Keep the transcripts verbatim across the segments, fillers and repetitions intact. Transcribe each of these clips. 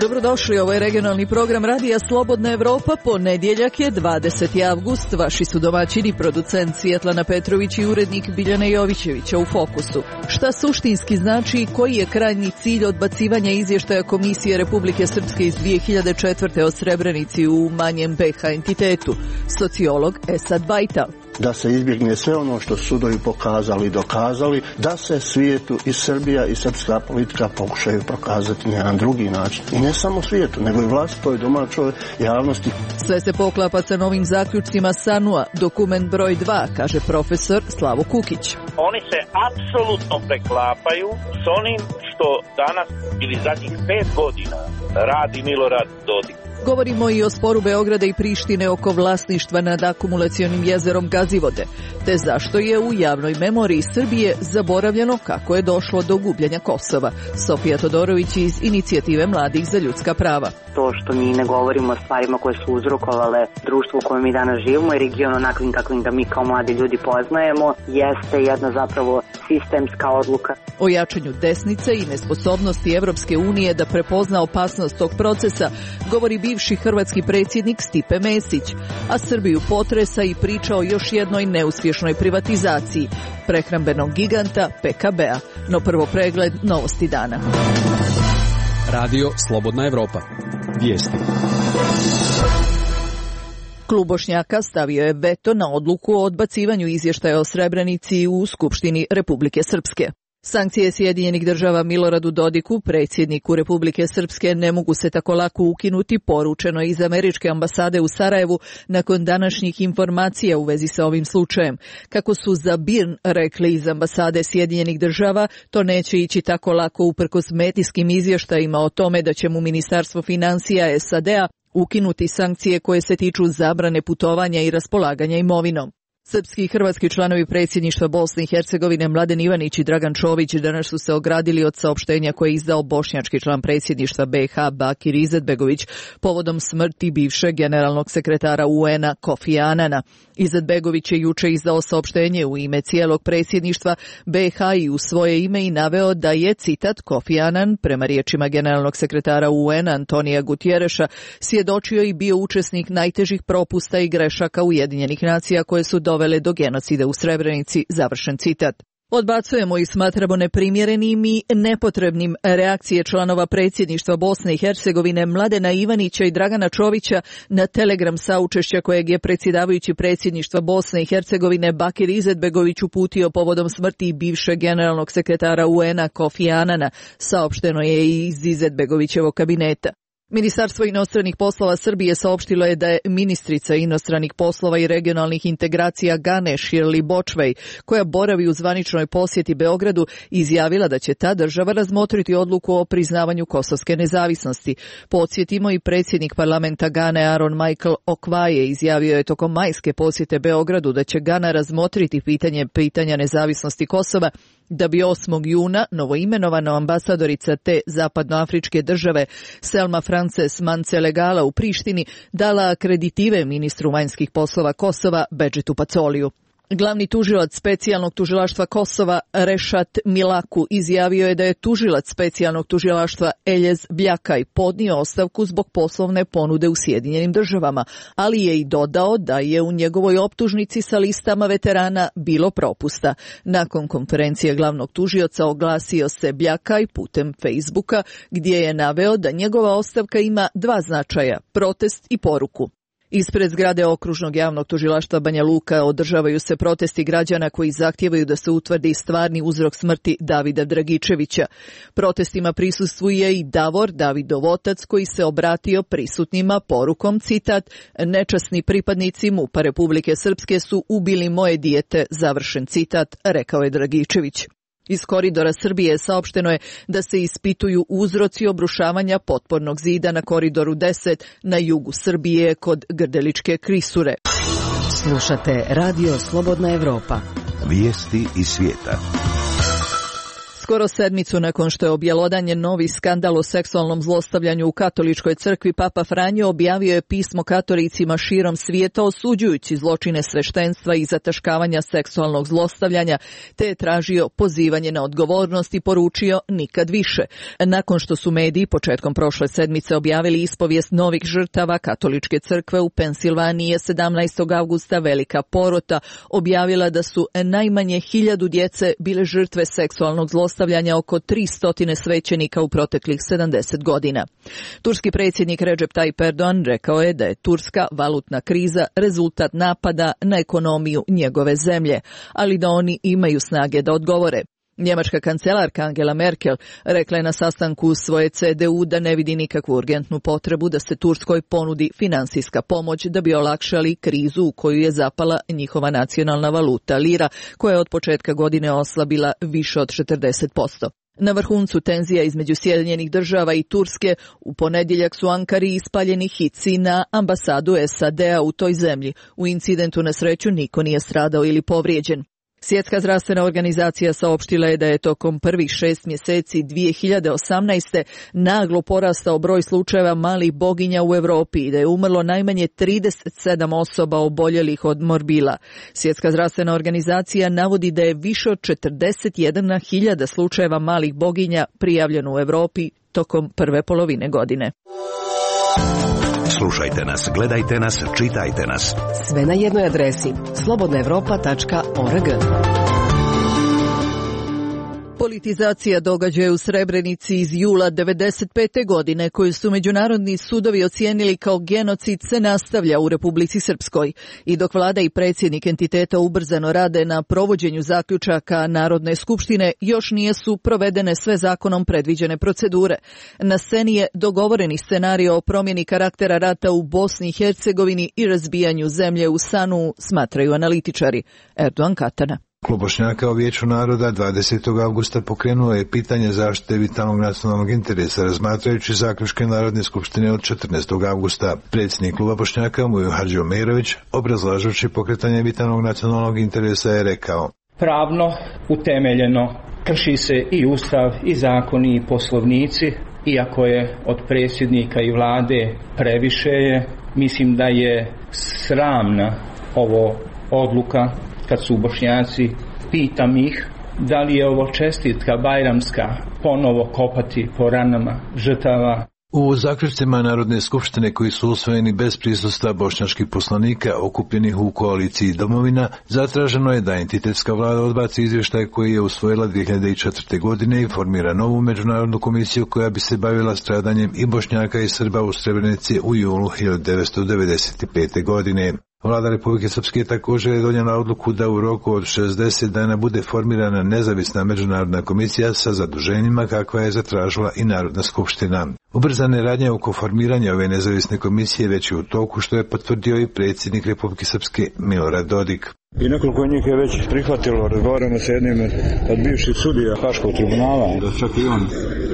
Dobrodošli, ovo je regionalni program Radija Slobodna Evropa, ponedjeljak je dvadeseti avgust, vaši su domaćini, producent Svjetlana Petrović i urednik Biljana Jovićevića u Fokusu. Šta suštinski znači i koji je krajnji cilj odbacivanja izvještaja Komisije Republike Srpske iz dvije hiljade četvrte o Srebrenici u manjem be ha entitetu? Sociolog Esad Bajta. Da se izbjegne sve ono što sudovi pokazali i dokazali, da se svijetu i Srbija i srpska politika pokušaju prokazati na jedan drugi način. I ne samo svijetu, nego i vlastitoj domaćoj javnosti. Sve se poklapa sa novim zaključcima SANU-a, dokument broj dva, kaže profesor Slavo Kukić. Oni se apsolutno preklapaju s onim što danas ili zadnjih pet godina radi Milorad Dodik. Govorimo i o sporu Beograda i Prištine oko vlasništva nad akumulacionim jezerom Gazivode, te zašto je u javnoj memoriji Srbije zaboravljeno kako je došlo do gubljenja Kosova. Sofija Todorović iz Inicijative mladih za ljudska prava. To što mi ne govorimo o stvarima koje su uzrokovale društvo u kojem mi danas živimo i region onakvim kakvim da mi kao mladi ljudi poznajemo, jeste jedna zapravo sistemska odluka. O jačanju desnice i nesposobnosti Evropske unije da prepozna opasnost tog procesa govori bivši hrvatski predsjednik Stipe Mesić, a Srbiju potresa i priča o još jednoj neuspješnoj privatizaciji prehrambenog giganta pe ka be-a. No prvo pregled novosti dana. Radio Slobodna Evropa. Vijesti. Klub Bošnjaka stavio je veto na odluku o odbacivanju izvještaja o Srebrenici u Skupštini Republike Srpske. Sankcije Sjedinjenih država Miloradu Dodiku, predsjedniku Republike Srpske, ne mogu se tako lako ukinuti, poručeno iz američke ambasade u Sarajevu nakon današnjih informacija u vezi sa ovim slučajem. Kako su za B I R N rekli iz ambasade Sjedinjenih država, to neće ići tako lako uprkos medijskim izvještajima o tome da će mu Ministarstvo financija es a de-a ukinuti sankcije koje se tiču zabrane putovanja i raspolaganja imovinom. Srpski i hrvatski članovi predsjedništva Bosne i Hercegovine Mladen Ivanić i Dragan Čović danas su se ogradili od saopštenja koje je izdao bošnjački član predsjedništva be ha Bakir Izetbegović povodom smrti bivšeg generalnog sekretara u en-a Kofi Anana. Izetbegović je juče izdao saopštenje u ime cijelog predsjedništva be ha i u svoje ime i naveo da je, citat, Kofi Anan, prema riječima generalnog sekretara u en-a Antonija Gutjereša, svjedočio i bio učesnik najtežih propusta i grešaka Ujedinjenih nacija koje su dovele do genocida u Srebrenici, završen citat. Odbacujemo i smatramo neprimjerenim i nepotrebnim reakcije članova predsjedništva Bosne i Hercegovine Mladena Ivanića i Dragana Čovića na telegram saučešća kojeg je predsjedavajući predsjedništva Bosne i Hercegovine Bakir Izetbegović uputio povodom smrti bivšeg generalnog sekretara u en-a Kofi Anana, saopšteno je i iz Izetbegovićevog kabineta. Ministarstvo inostranih poslova Srbije saopštilo je da je ministrica inostranih poslova i regionalnih integracija Gane Shirley Bočvej, koja boravi u zvaničnoj posjeti Beogradu, izjavila da će ta država razmotriti odluku o priznavanju kosovske nezavisnosti. Podsjetimo, i predsjednik parlamenta Gane Aaron Michael Okvaje izjavio je tokom majske posjete Beogradu da će Gana razmotriti pitanje pitanja nezavisnosti Kosova, da bi osmog juna novoimenovana ambasadorica te zapadnoafričke države Selma Frances Mancelegala u Prištini dala akreditive ministru vanjskih poslova Kosova Bedžitu Pacoliju. Glavni tužilac specijalnog tužilaštva Kosova Rešat Milaku izjavio je da je tužilac specijalnog tužilaštva Eljez Bljakaj podnio ostavku zbog poslovne ponude u Sjedinjenim državama, ali je i dodao da je u njegovoj optužnici sa listama veterana bilo propusta. Nakon konferencije glavnog tužioca oglasio se Bljakaj putem Facebooka, gdje je naveo da njegova ostavka ima dva značaja, protest i poruku. Ispred zgrade okružnog javnog tužilaštva Banja Luka održavaju se protesti građana koji zahtijevaju da se utvrdi stvarni uzrok smrti Davida Dragičevića. Protestima prisustvuje i Davor, Davidov otac, koji se obratio prisutnima porukom, citat, nečasni pripadnici MUP-a Republike Srpske su ubili moje dijete, završen citat, rekao je Dragičević. Iz koridora Srbije saopšteno je da se ispituju uzroci obrušavanja potpornog zida na koridoru deset na jugu Srbije kod Grdeličke Krisure. Slušate Radio Slobodna Evropa. Vijesti iz svijeta. Skoro sedmicu nakon što je objelodanjen novi skandal o seksualnom zlostavljanju u katoličkoj crkvi, Papa Franjo objavio je pismo katolicima širom svijeta osuđujući zločine sveštenstva i zataškavanja seksualnog zlostavljanja, te je tražio pozivanje na odgovornost i poručio nikad više. Nakon što su mediji početkom prošle sedmice objavili ispovijest novih žrtava, katoličke crkve u Pensilvaniji je sedamnaestog avgusta velika porota objavila da su najmanje hiljadu djece bile žrtve seksualnog zlostavljanja oko tristo svećenika u proteklih sedamdeset godina. Turski predsjednik Recep Tayyip Erdogan rekao je da je turska valutna kriza rezultat napada na ekonomiju njegove zemlje, ali da oni imaju snage da odgovore. Njemačka kancelarka Angela Merkel rekla je na sastanku svoje C D U da ne vidi nikakvu urgentnu potrebu da se Turskoj ponudi finansijska pomoć da bi olakšali krizu u koju je zapala njihova nacionalna valuta lira, koja je od početka godine oslabila više od četrdeset posto. Na vrhuncu tenzija između Sjedinjenih država i Turske u ponedjeljak su Ankari ispaljeni hici na ambasadu S A D-a u toj zemlji. U incidentu na sreću niko nije stradao ili povrijeđen. Svjetska zdravstvena organizacija saopštila je da je tokom prvih šest mjeseci dvije hiljade osamnaeste. naglo porastao broj slučajeva malih boginja u Europi i da je umrlo najmanje trideset sedam osoba oboljelih od morbila. Svjetska zdravstvena organizacija navodi da je više od četrdeset jedna hiljada slučajeva malih boginja prijavljeno u Europi tokom prve polovine godine. Slušajte nas, gledajte nas, čitajte nas. Sve na jednoj adresi slobodna evropa tačka org. Politizacija događaja u Srebrenici iz jula devedeset pete. godine, koju su međunarodni sudovi ocijenili kao genocid, se nastavlja u Republici Srpskoj. I dok vlada i predsjednik entiteta ubrzano rade na provođenju zaključaka Narodne skupštine, još nije su provedene sve zakonom predviđene procedure. Na sceni je dogovoreni scenario o promjeni karaktera rata u Bosni i Hercegovini i razbijanju zemlje u Sanu, smatraju analitičari. Erdogan Katana. Klub Bošnjaka u Vijeću naroda dvadesetog avgusta pokrenuo je pitanje zaštite vitalnog nacionalnog interesa razmatrajući zaključke Narodne skupštine od četrnaestog avgusta. Predsjednik kluba Bošnjaka Mujo Hadži Omerović, obrazlažući pokretanje vitalnog nacionalnog interesa, je rekao: pravno utemeljeno krši se i ustav i zakoni i poslovnici, iako je od predsjednika i vlade previše je. Mislim da je sramna ovo odluka kad su Bošnjaci, pitam ih da li je ovo čestitka bajramska ponovo kopati po ranama žrtava. U zaključcima Narodne skupštine koji su usvojeni bez prisustva bošnjačkih poslanika okupljenih u koaliciji Domovina, zatraženo je da entitetska vlada odbaci izvještaj koji je usvojila dvije hiljade četvrte. godine i formira novu međunarodnu komisiju koja bi se bavila stradanjem i Bošnjaka i Srba u Srebrenici u julu hiljadu devetsto devedeset pete. godine. Vlada Republike Srpske također je donijela odluku da u roku od šezdeset dana bude formirana nezavisna međunarodna komisija sa zaduženjima kakva je zatražila i Narodna skupština. Ubrzane radnje oko formiranja ove nezavisne komisije već je u toku, što je potvrdio i predsjednik Republike Srpske Milorad Dodik. I nekoliko njih je već prihvatilo, razgovaramo sa jednim od bivših sudija Haškog tribunala, da čak i on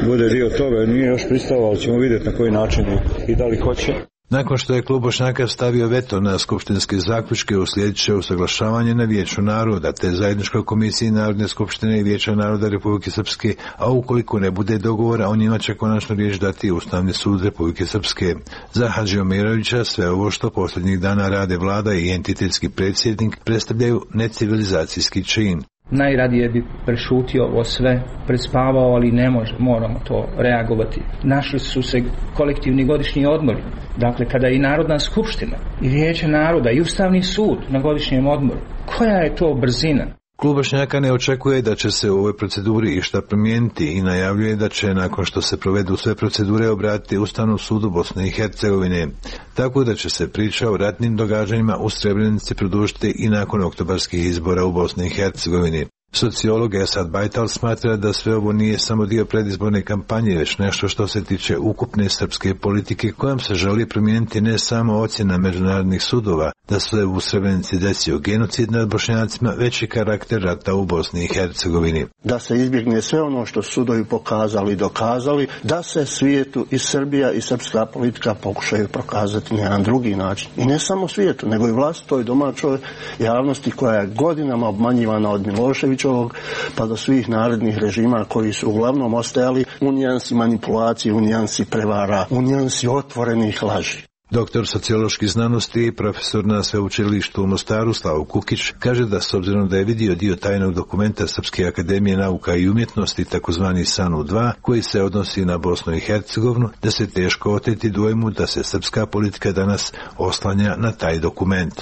bude dio toga, nije još pristao, ali ćemo vidjeti na koji način i da li hoće. Nakon što je klub Bošnjaka stavio veto na skupštinske zaključke, uslijedit će usaglašavanje na Vijeću naroda te zajedničkoj komisiji Narodne skupštine i Vijeća naroda Republike Srpske, a ukoliko ne bude dogovora, o njima će konačno riječ dati Ustavni sud Republike Srpske. Za Hadži Omerovića sve ovo što posljednjih dana rade vlada i entitetski predsjednik predstavljaju necivilizacijski čin. Najradije bi prešutio ovo sve, prespavao, ali ne može, moramo to reagovati. Našli su se kolektivni godišnji odmori, dakle kada i Narodna skupština, i Vijeće naroda, i Ustavni sud na godišnjem odmoru. Koja je to brzina? Klub Bošnjaka ne očekuje da će se u ovoj proceduri išta promijeniti i najavljuje da će, nakon što se provedu sve procedure, obratiti Ustavnom sudu Bosne i Hercegovine. Tako da će se priča o ratnim događanjima u Srebrenici produžiti i nakon oktobarskih izbora u Bosni i Hercegovini. Sociolog Esad Bajtal smatra da sve ovo nije samo dio predizborne kampanje, već nešto što se tiče ukupne srpske politike kojom se želi promijeniti ne samo ocjena međunarodnih sudova da se u Srebrenici desio genocid nad Bošnjacima, već i karakter rata u Bosni i Hercegovini. Da se izbjegne sve ono što sudovi pokazali i dokazali, da se svijetu i Srbija i srpska politika pokušaju prokazati na jedan drugi način. I ne samo svijetu, nego i vlastitoj domaćoj javnosti koja je godinama obmanjivana od Miloševića Miloševićevog pa do svih narednih režima koji su uglavnom ostajali u nijansi manipulacije, u nijansi prevara, u nijansi otvorenih laži. Doktor socioloških znanosti i profesor na sveučilištu u Mostaru Slavo Kukić kaže da s obzirom da je vidio dio tajnog dokumenta Srpske akademije nauka i umjetnosti takozvani S A N U dva koji se odnosi na Bosnu i Hercegovinu, da se teško oteti dojmu da se srpska politika danas oslanja na taj dokument.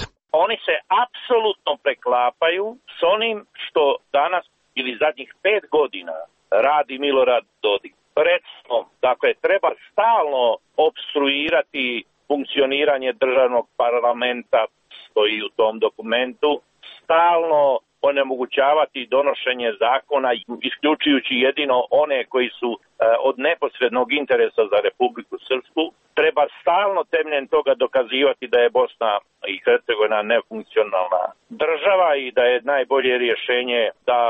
Oni se apsolutno preklapaju s onim što danas ili zadnjih pet godina radi Milorad Dodik. Recimo, dakle, treba stalno opstruirati funkcioniranje državnog parlamenta, stoji u tom dokumentu, stalno onemogućavati donošenje zakona, isključujući jedino one koji su e, od neposrednog interesa za Republiku Srpsku. Treba stalno temeljem toga dokazivati da je Bosna i Hercegovina nefunkcionalna država i da je najbolje rješenje da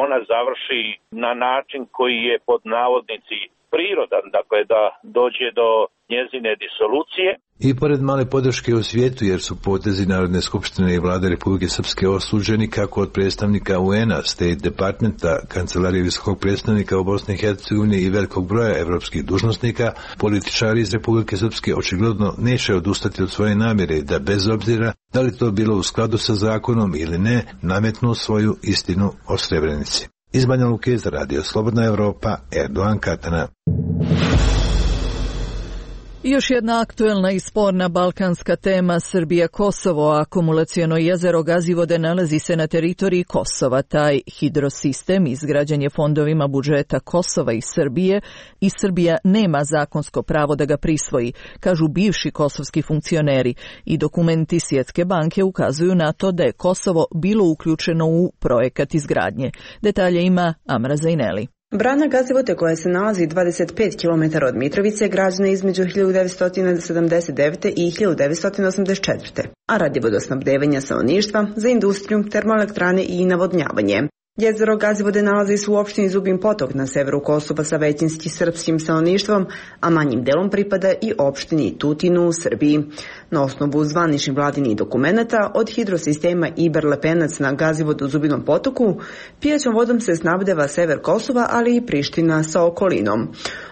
ona završi na način koji je pod navodnici prirodan, dakle da dođe do njezine disolucije. I pored male podrške u svijetu, jer su potezi Narodne skupštine i vlade Republike Srpske osuđeni kako od predstavnika U N A, State Departmenta, Kancelarije visokog predstavnika u Bosni i Hercegovini i velikog broja evropskih dužnosnika, političari iz Republike Srpske očigledno neće odustati od svoje namjere da bez obzira da li to bilo u skladu sa zakonom ili ne, nametnu svoju istinu o Srebrenici. Iz Banja Luke za Radio Slobodna Evropa, Erdogan Katana. Još jedna aktuelna i sporna balkanska tema Srbija-Kosovo. Akumulaciono jezero Gazivode nalazi se na teritoriji Kosova. Taj hidrosistem izgrađen je fondovima budžeta Kosova i Srbije i Srbija nema zakonsko pravo da ga prisvoji, kažu bivši kosovski funkcioneri, i dokumenti Svjetske banke ukazuju na to da je Kosovo bilo uključeno u projekat izgradnje. Detalje ima Amra Zaineli. Brana Gazivode, koja se nalazi dvadeset pet kilometara od Mitrovice, građena je između hiljadu devetsto sedamdeset devete. i hiljadu devetsto osamdeset četvrte. a radi vodosnabdevanja stanovništva za industriju, termoelektrane i navodnjavanje. Jezero Gazivode nalazi se u opštini Zubin Potok na severu Kosova sa većinski srpskim stanovništvom, a manjim delom pripada i opštini Tutinu u Srbiji. Na osnovu zvaničnih vladinih dokumenata od hidrosistema Iber-Lepenac na Gazivodu u Zubinom Potoku, pijaćom vodom se snabdeva sever Kosova, ali i Priština sa okolinom.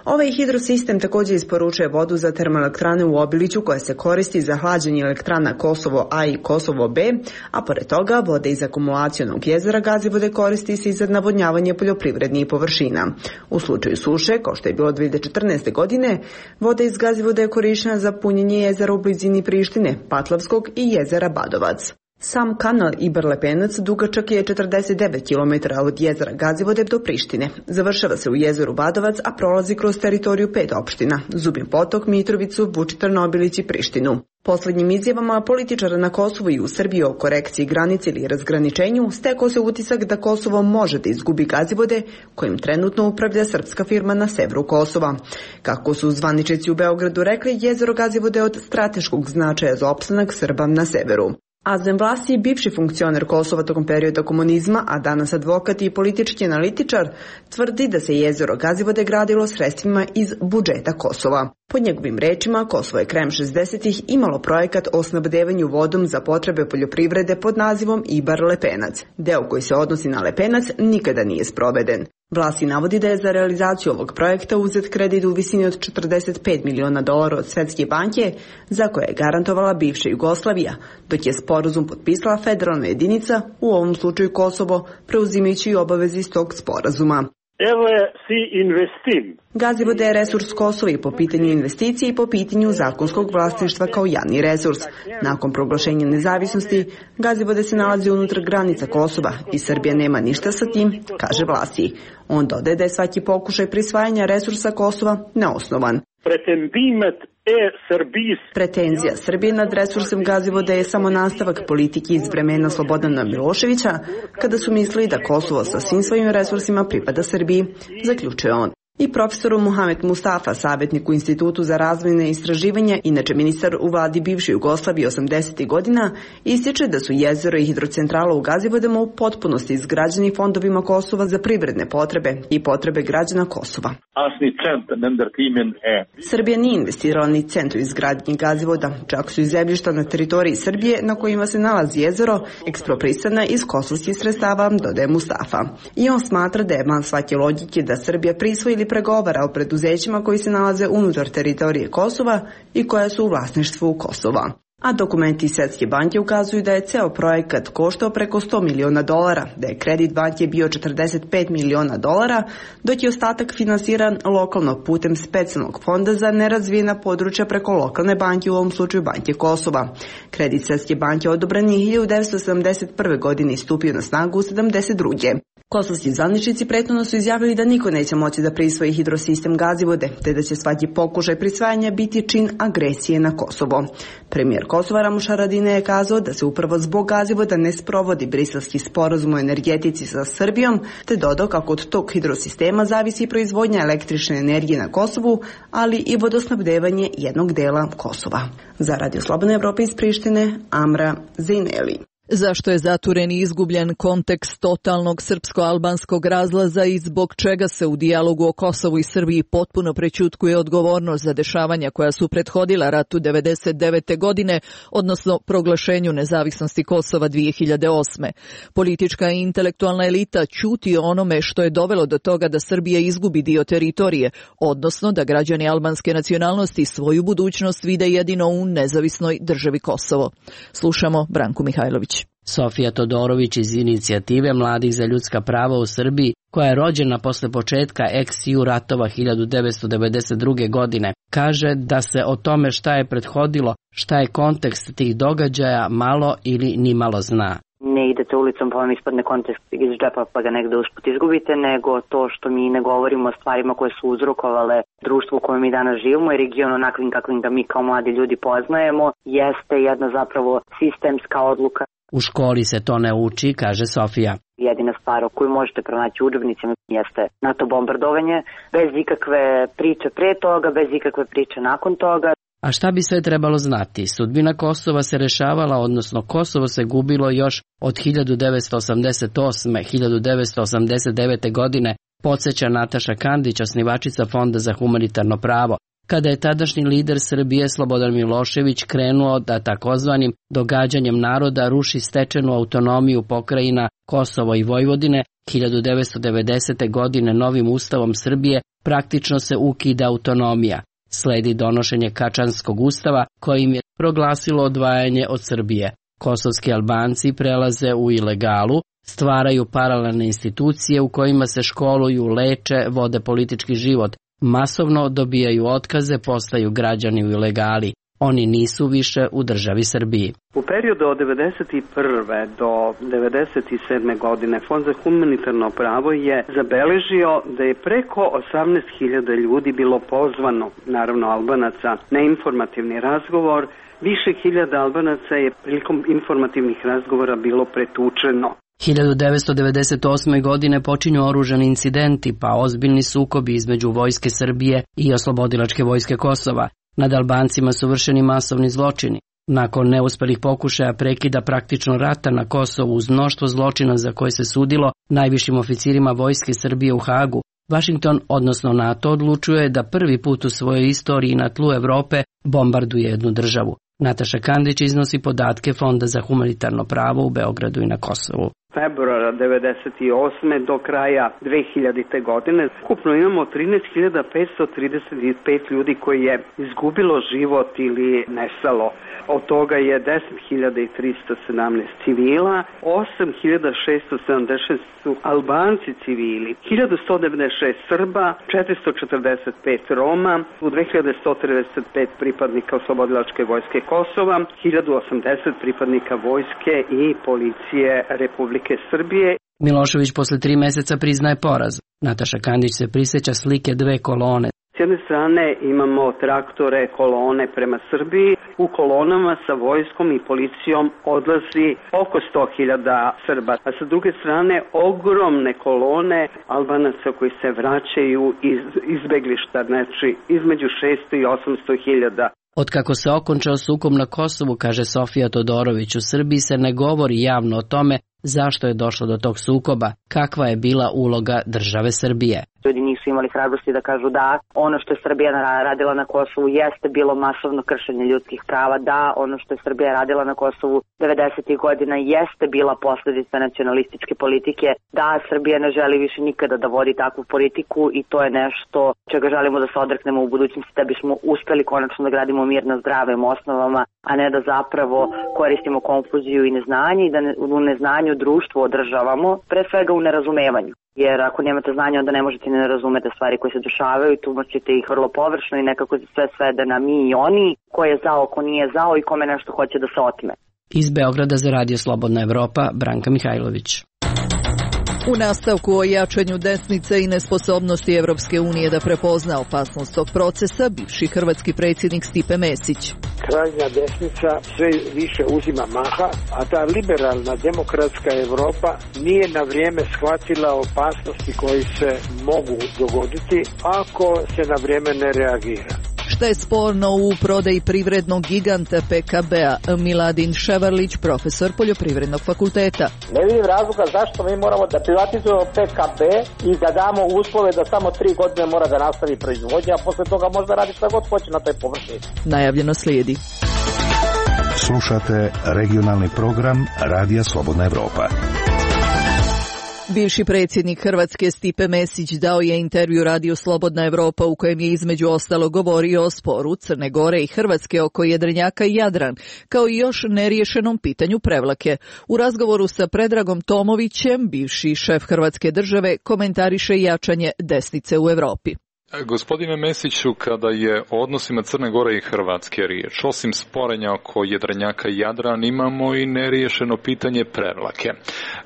Ovaj hidrosistem također isporučuje vodu za termoelektrane u Obiliću, koja se koristi za hlađenje elektrana Kosovo A i Kosovo B, a pored toga voda iz akumulacionog jezera Gazivode koristi se i za navodnjavanje poljoprivrednih površina. U slučaju suše, kao što je bilo dve hiljade četrnaeste. godine, voda iz Gazivode je korišćena za punjenje jezera u blizini Prištine, Patlavskog i jezera Badovac. Sam kanal Iber-Lepenac dugačak je četrdeset devet kilometara od jezera Gazivode do Prištine. Završava se u jezeru Badovac, a prolazi kroz teritoriju pet opština: Zubin Potok, Mitrovicu, Vučitrn, Obilić i Prištinu. Poslednjim izjavama političara na Kosovu i u Srbiji o korekciji granice ili razgraničenju stekao se utisak da Kosovo može da izgubi Gazivode, kojim trenutno upravlja srpska firma na severu Kosova. Kako su zvaničnici u Beogradu rekli, jezero Gazivode je od strateškog značaja za opstanak Srba na severu. Azem Vlasi, bivši funkcioner Kosova tokom perioda komunizma, a danas advokat i politički analitičar, tvrdi da se jezero Gazivode gradilo sredstvima iz budžeta Kosova. Po njegovim rečima, Kosovo je krajem šezdesetih imalo projekat o snabdevanju vodom za potrebe poljoprivrede pod nazivom Ibar-Lepenac. Deo koji se odnosi na Lepenac nikada nije sproveden. Vlasi navodi da je za realizaciju ovog projekta uzet kredit u visini od četrdeset pet miliona dolara od Svetske banke, za koje je garantovala bivša Jugoslavija, dok je sporazum potpisala federalna jedinica, u ovom slučaju Kosovo, preuzimajući i obaveze iz tog sporazuma. Gazivode je resurs Kosova i po pitanju investicije i po pitanju zakonskog vlasništva kao javni resurs. Nakon proglašenja nezavisnosti, Gazivode se nalazi unutar granica Kosova i Srbija nema ništa sa tim, kaže Vlasi. On dodaje da je svaki pokušaj prisvajanja resursa Kosova neosnovan. Pretenzija Srbije nad resursem Gazivode je samo nastavak politike iz vremena Slobodana Miloševića, kada su mislili da Kosovo sa svim svojim resursima pripada Srbiji, zaključuje on. I profesoru Muhamed Mustafa, savjetnik u Institutu za razvojne istraživanja, inače ministar u vladi bivše Jugoslavije osamdesetih godina, ističe da su jezero i hidrocentrala u Gazivodama u potpunosti izgrađeni fondovima Kosova za privredne potrebe i potrebe građana Kosova. Srbija nije investirala ni cent u izgradnji Gazivoda, čak su i zemljišta na teritoriji Srbije na kojima se nalazi jezero eksproprisana iz kosovskih sredstava, dodaje Mustafa. I on smatra da je van svake logike da Srbija prisvoji ili pregovara o preduzećima koji se nalaze unutar teritorije Kosova i koja su u vlasništvu Kosova. A dokumenti Svetske banke ukazuju da je ceo projekat koštao preko sto miliona dolara, da je kredit banke bio četrdeset pet miliona dolara, dok je ostatak finansiran lokalno putem specijalnog fonda za nerazvijena područja preko lokalne banke, u ovom slučaju Banke Kosova. Kredit Svetske banke odobren je hiljadu devetsto sedamdeset prve. godine i stupio na snagu u sedamdeset druge. Kosovski zvaničnici prethodno su izjavili da niko neće moći da prisvoji hidrosistem Gazivode, te da će svaki pokušaj prisvajanja biti čin agresije na Kosovo. Premijer Kosova Ramuš Haradinaj je kazao da se upravo zbog Gazivoda ne sprovodi briselski sporazum o energetici sa Srbijom, te dodao kako od tog hidrosistema zavisi proizvodnja električne energije na Kosovu, ali i vodosnabdevanje jednog dela Kosova. Za Radio Slobodna Evropa iz Prištine, Amra Zejneli. Zašto je zaturen i izgubljen kontekst totalnog srpsko-albanskog razlaza i zbog čega se u dijalogu o Kosovu i Srbiji potpuno prećutkuje odgovornost za dešavanja koja su prethodila ratu devedeset devete. godine, odnosno proglašenju nezavisnosti Kosova dvije hiljade osme. Politička i intelektualna elita ćuti o onome što je dovelo do toga da Srbija izgubi dio teritorije, odnosno da građani albanske nacionalnosti svoju budućnost vide jedino u nezavisnoj državi Kosovo. Slušamo Branku Mihajlović. Sofija Todorović iz inicijative Mladih za ljudska prava u Srbiji, koja je rođena posle početka ex-ju ratova hiljadu devetsto devedeset druge. godine, kaže da se o tome šta je prethodilo, šta je kontekst tih događaja malo ili ni malo zna. Ne idete ulicom pa vam ispadne kontekst iz džepa pa ga negde usput izgubite, nego to što mi ne govorimo o stvarima koje su uzrokovale društvo u kojem mi danas živimo i region onakvim kakvim ga mi kao mladi ljudi poznajemo, jeste jedna zapravo sistemska odluka. U školi se to ne uči, kaže Sofija. Jedina stvar koju možete pronaći u udžbenicima jeste NATO bombardovanje, bez ikakve priče pre toga, bez ikakve priče nakon toga. A šta bi sve trebalo znati? Sudbina Kosova se rešavala, odnosno Kosovo se gubilo još od hiljadu devetsto osamdeset osme do hiljadu devetsto osamdeset devete. godine, podsjeća Nataša Kandić, osnivačica Fonda za humanitarno pravo, kada je tadašnji lider Srbije Slobodan Milošević krenuo da takozvanim događanjem naroda ruši stečenu autonomiju pokrajina Kosovo i Vojvodine. hiljadu devetsto devedesete. godine novim ustavom Srbije praktično se ukida autonomija. Sledi donošenje Kačanskog ustava kojim je proglasilo odvajanje od Srbije. Kosovski Albanci prelaze u ilegalu, stvaraju paralelne institucije u kojima se školuju, leče, vode politički život, masovno dobijaju otkaze, postaju građani u ilegali. Oni nisu više u državi Srbiji. U periodu od devedeset prve do devedeset sedme. godine Fond za humanitarno pravo je zabeležio da je preko osamnaest hiljada ljudi bilo pozvano, naravno Albanaca, na informativni razgovor. Više hiljada Albanaca je prilikom informativnih razgovora bilo pretučeno. hiljadu devetsto devedeset osme. godine počinju oružani incidenti, pa ozbiljni sukobi između vojske Srbije i oslobodilačke vojske Kosova. Nad Albancima su vršeni masovni zločini. Nakon neuspelih pokušaja prekida praktično rata na Kosovu uz mnoštvo zločina za koje se sudilo najvišim oficirima vojske Srbije u Hagu, Vašington, odnosno NATO, odlučuje da prvi put u svojoj istoriji na tlu Evrope bombarduje jednu državu. Nataša Kandić iznosi podatke Fonda za humanitarno pravo u Beogradu i na Kosovu. Februara devedeset osme. do kraja dve hiljadite. godine ukupno imamo trinaest hiljada petsto trideset pet ljudi koji je izgubilo život ili nestalo. Od toga je deset hiljada tristo sedamnaest civila, osam hiljada šeststo sedamdeset šest su Albanci civili, hiljadu sto devedeset šest Srba, četiristo četrdeset pet Roma, u dve hiljade sto trideset pet pripadnika oslobodilačke vojske Kosova, hiljadu osamdeset pripadnika vojske i policije Republike Srbije. Milošević posle tri meseca priznaje poraz. Nataša Kandić se prisjeća slike dve kolone. jedne strane imamo traktore, kolone prema Srbiji. U kolonama sa vojskom i policijom odlazi oko sto hiljada Srba. A sa druge strane ogromne kolone Albanaca koji se vraćaju iz izbeglišta, znači između šesto i osamsto hiljada. Otkako se okončao sukob na Kosovu, kaže Sofija Todorović, u Srbiji se ne govori javno o tome zašto je došlo do tog sukoba, kakva je bila uloga države Srbije. Ljudi nisu imali hrabrosti da kažu da ono što je Srbija radila na Kosovu jeste bilo masovno kršenje ljudskih prava, da ono što je Srbija radila na Kosovu devedesetih godina jeste bila posljedica nacionalističke politike, da Srbija ne želi više nikada da vodi takvu politiku i to je nešto čega želimo da se odreknemo u budućnosti da bismo uspeli konačno da gradimo mir na zdravim osnovama, a ne da zapravo koristimo konfuziju i neznanje i da u neznanju društvo održavamo, pre svega u nerazumevanju. Jer ako nemate znanja, onda ne možete ne razumete stvari koje se dešavaju i tumačite ih vrlo površno i nekako se sve svede na mi i oni, ko je zao, ko nije zao i kome nešto hoće da se otme. Iz Beograda za Radio Slobodna Evropa, Branka Mihajlović. U nastavku o jačanju desnice i nesposobnosti Evropske unije da prepozna opasnost tog procesa, bivši hrvatski predsjednik Stipe Mesić. Krajnja desnica sve više uzima maha, a ta liberalna demokratska Evropa nije na vrijeme shvatila opasnosti koji se mogu dogoditi ako se na vrijeme ne reagira. Šta je sporno u prodaji privrednog giganta P K B-a? Miladin Ševarlić, profesor Poljoprivrednog fakulteta. Ne vidim razloga zašto mi moramo da privatizujemo P K B i da damo uslove da samo tri godine mora da nastavi proizvodnja, a posle toga možda radi šta god hoće na toj površini. Najavljeno slijedi. Slušate regionalni program Radija Slobodna Evropa. Bivši predsjednik Hrvatske Stipe Mesić dao je intervju Radiju Slobodna Evropa u kojem je između ostalo govorio o sporu Crne Gore i Hrvatske oko Jedrenjaka i Jadran, kao i još neriješenom pitanju Prevlake. U razgovoru sa Predragom Tomovićem, bivši šef Hrvatske države, komentariše jačanje desnice u Evropi. Gospodine Mesiću, kada je o odnosima Crne Gore i Hrvatske riječ, osim sporenja oko Jedrenjaka i Jadran, imamo i neriješeno pitanje Prevlake.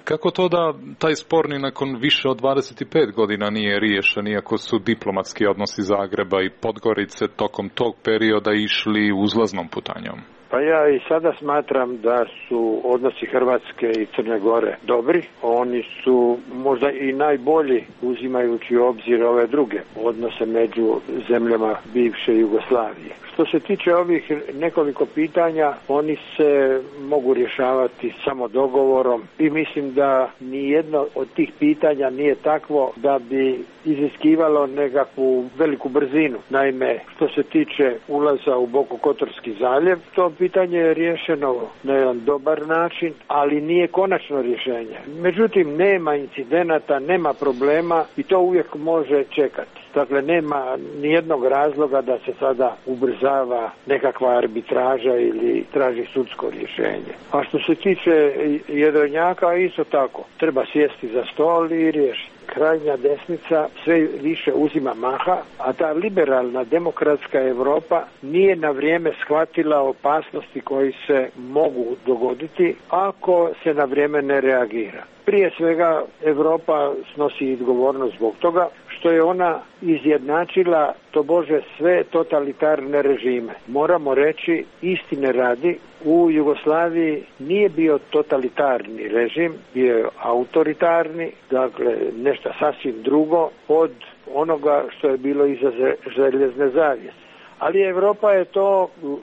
Kako to da taj spor ni nakon više od dvadeset pet godina nije riješen, iako su diplomatski odnosi Zagreba i Podgorice tokom tog perioda išli uzlaznom putanjom? Pa ja i sada smatram da su odnosi Hrvatske i Crne Gore dobri. Oni su možda i najbolji uzimajući u obzir ove druge odnose među zemljama bivše Jugoslavije. Što se tiče ovih nekoliko pitanja, oni se mogu rješavati samo dogovorom i mislim da nijedno od tih pitanja nije takvo da bi iziskivalo nekakvu veliku brzinu. Naime, što se tiče ulaza u Bokokotorski zaljev, to pitanje je riješeno na jedan dobar način, ali nije konačno rješenje. Međutim, nema incidenata, nema problema i to uvijek može čekati. Dakle, nema nijednog razloga da se sada ubrzava nekakva arbitraža ili traži sudsko rješenje. A što se tiče Jedrenjaka, isto tako. Treba sjesti za stol i riješiti. Krajnja desnica sve više uzima maha, a ta liberalna demokratska Evropa nije na vrijeme shvatila opasnosti koji se mogu dogoditi ako se na vrijeme ne reagira. Prije svega Evropa snosi odgovornost zbog toga što je ona izjednačila tobože sve totalitarne režime. Moramo reći, istine radi, u Jugoslaviji nije bio totalitarni režim, bio je autoritarni, dakle nešto sasvim drugo od onoga što je bilo iza željezne zavjese. Ali Evropa je to u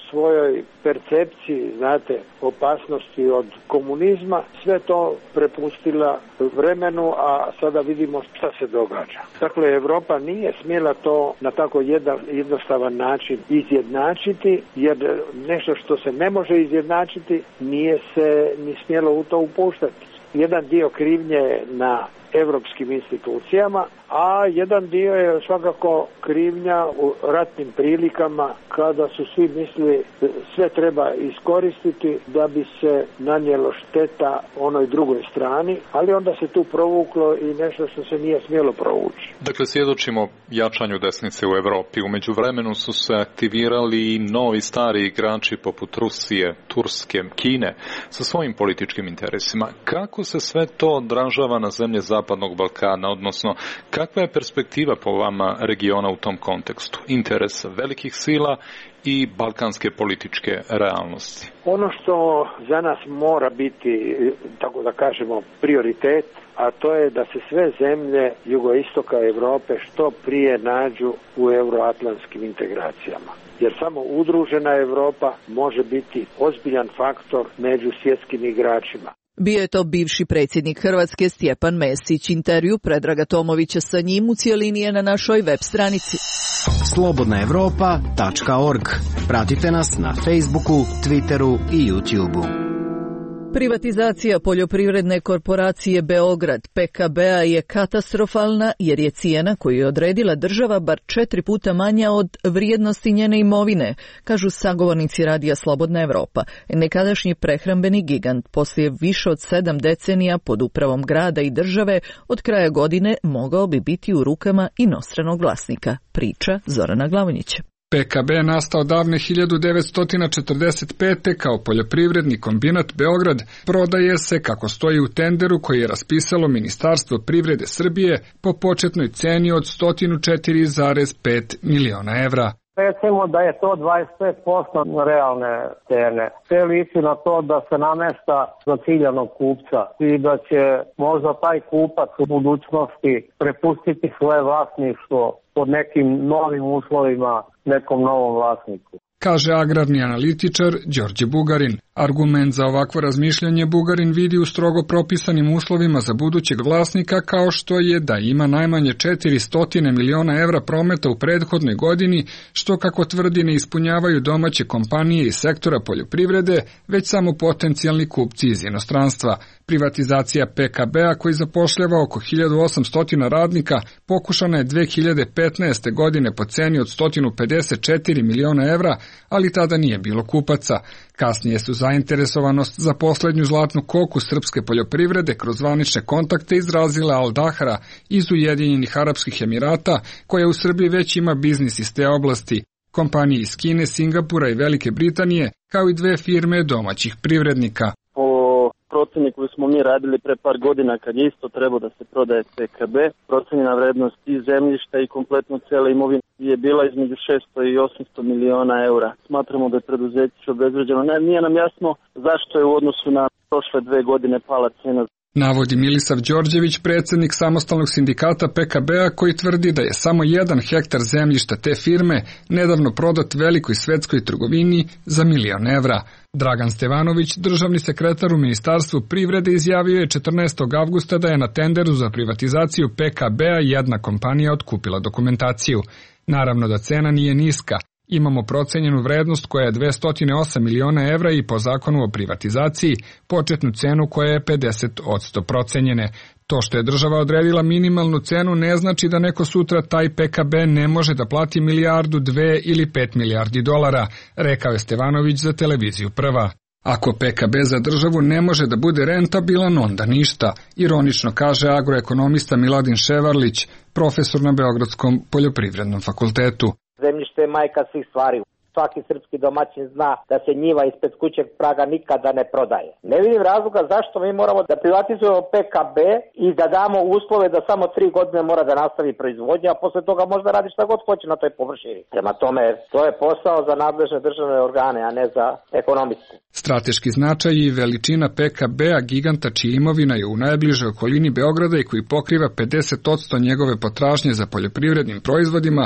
svojoj percepciji, znate, opasnosti od komunizma, sve to prepustila vremenu, a sada vidimo šta se događa. Dakle, Evropa nije smjela to na tako jedan jednostavan način izjednačiti, jer nešto što se ne može izjednačiti nije se ni smjelo u to upuštati. Jedan dio krivnje na evropskim institucijama, a jedan dio je svakako krivnja u ratnim prilikama kada su svi mislili sve treba iskoristiti da bi se nanijelo šteta onoj drugoj strani, ali onda se tu provuklo i nešto što se nije smjelo provući. Dakle, svjedočimo jačanju desnice u Europi. U međuvremenu su se aktivirali i novi stari igrači poput Rusije, Turske, Kine sa svojim političkim interesima. Kako se sve to odražava na zemlje zapadnog Zapadnog Balkana, odnosno kakva je perspektiva po vama regiona u tom kontekstu? Interes velikih sila i balkanske političke realnosti. Ono što za nas mora biti, tako da kažemo, prioritet, a to je da se sve zemlje jugoistoka Europe što prije nađu u euroatlantskim integracijama. Jer samo udružena Europa može biti ozbiljan faktor među svjetskim igračima. Bio je to bivši predsjednik Hrvatske Stjepan Mesić. Intervju Predraga Tomovića sa njim u cijelini je na našoj web stranici. slobodna europa tačka org. Pratite nas na Facebooku, Twitteru i YouTubeu. Privatizacija poljoprivredne korporacije Beograd P K B-a je katastrofalna jer je cijena koju je odredila država bar četiri puta manja od vrijednosti njene imovine, kažu sagovornici radija Slobodna Evropa. Nekadašnji prehrambeni gigant poslije više od sedam decenija pod upravom grada i države od kraja godine mogao bi biti u rukama inostranog vlasnika, priča Zorana Glavonjića. P K B je nastao davne hiljadu devetsto četrdeset pete kao poljoprivredni kombinat Beograd, prodaje se kako stoji u tenderu koji je raspisalo Ministarstvo privrede Srbije po početnoj ceni od sto četiri zarez pet miliona evra. Recimo da je to dvadeset pet posto realne cene. Sve liči na to da se namešta za ciljanog kupca i da će možda taj kupac u budućnosti prepustiti svoje vlasništvo pod nekim novim uslovima nekom novom vlasniku, kaže agrarni analitičar Đorđe Bugarin. Argument za ovakvo razmišljanje Bugarin vidi u strogo propisanim uslovima za budućeg vlasnika, kao što je da ima najmanje četiristo miliona evra prometa u prethodnoj godini, što kako tvrdi ne ispunjavaju domaće kompanije iz sektora poljoprivrede, već samo potencijalni kupci iz inostranstva. Privatizacija P K B-a, koji zapošljava oko hiljadu osamsto radnika, pokušana je dve hiljade petnaeste. godine po ceni od sto pedeset četiri miliona evra, ali tada nije bilo kupaca. Kasnije su zainteresovanost za posljednju zlatnu koku srpske poljoprivrede kroz zvanične kontakte izrazila Al Dahra iz Ujedinjenih Arapskih Emirata, koja u Srbiji već ima biznis iz te oblasti. Kompanije iz Kine, Singapura i Velike Britanije, kao i dve firme domaćih privrednika. Proceni koju smo mi radili pre par godina kad je isto trebao da se prodaje P K B, procenjena vrednost i zemljišta i kompletno cijele imovine je bila između šesto i osamsto miliona eura. Smatramo da je preduzeće obezvređeno. Ne, nije nam jasno zašto je u odnosu na prošle dve godine pala cena. Navodi Milisav Đorđević, predsjednik samostalnog sindikata P K B-a, koji tvrdi da je samo jedan hektar zemljišta te firme nedavno prodat velikoj svetskoj trgovini za milion evra. Dragan Stevanović, državni sekretar u Ministarstvu privrede, izjavio je četrnaestog avgusta da je na tenderu za privatizaciju P K B-a jedna kompanija otkupila dokumentaciju. Naravno da cena nije niska. Imamo procenjenu vrednost koja je dvesta osam miliona evra i po zakonu o privatizaciji početnu cenu koja je pedeset posto procenjene. To što je država odredila minimalnu cenu ne znači da neko sutra taj P K B ne može da plati milijardu, dve ili pet milijardi dolara, rekao je Stevanović za televiziju Prva. Ako P K B za državu ne može da bude rentabilan, onda ništa, ironično kaže agroekonomista Miladin Ševarlić, profesor na Beogradskom poljoprivrednom fakultetu. Zemljište je majka svih stvari. Svaki srpski domaćin zna da se njiva ispred kućeg praga nikada ne prodaje. Ne vidim razloga zašto mi moramo da privatizujemo P K B i da damo uslove da samo tri godine mora da nastavi proizvodnja, a posle toga možda radi šta god hoće na toj površini. Prema tome, to je posao za nadležne državne organe, a ne za ekonomistu. Strateški značaj i veličina P K B-a, giganta čija imovina je u najbližoj okolini Beograda i koji pokriva pedeset posto njegove potražnje za poljoprivrednim proizvodima,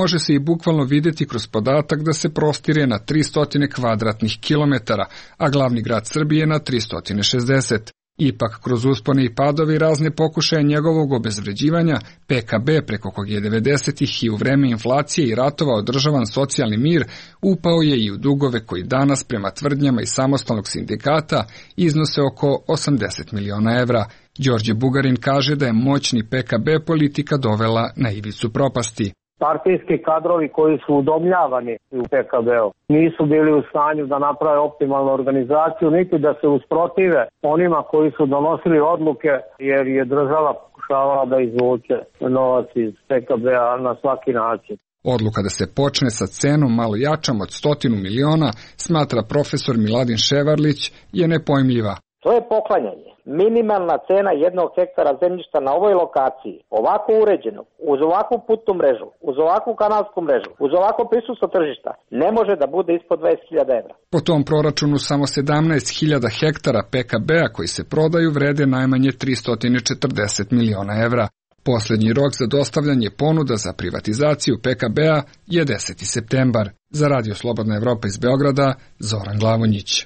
može se i bukvalno vidjeti kroz podatak da se prostire na tristo kvadratnih kilometara, a glavni grad Srbije na tristo šezdeset. Ipak, kroz uspone i padove i razne pokušaje njegovog obezvređivanja, P K B, preko kog je devedesetih i u vreme inflacije i ratova održavan socijalni mir, upao je i u dugove koji danas, prema tvrdnjama iz samostalnog sindikata, iznose oko osamdeset miliona evra. Đorđe Bugarin kaže da je moćni P K B politika dovela na ivicu propasti. Partijski kadrovi koji su udomljavani u P K B-u nisu bili u stanju da naprave optimalnu organizaciju, niti da se usprotive onima koji su donosili odluke, jer je država pokušavala da izvuče novac iz P K B-a na svaki način. Odluka da se počne sa cenom malo jačom od stotinu miliona, smatra profesor Miladin Ševarlić, je nepojmljiva. To je poklanjanje. Minimalna cena jednog hektara zemljišta na ovoj lokaciji, ovako uređenog, uz ovakvu putnu mrežu, uz ovakvu kanalsku mrežu, uz ovako prisustvo tržišta, ne može da bude ispod dvadeset hiljada evra. Po tom proračunu samo sedamnaest hiljada hektara P K B-a koji se prodaju vrede najmanje tristo četrdeset miliona evra. Poslednji rok za dostavljanje ponuda za privatizaciju P K B-a je deseti septembar. Za Radio Slobodna Evropa iz Beograda, Zoran Glavonjić.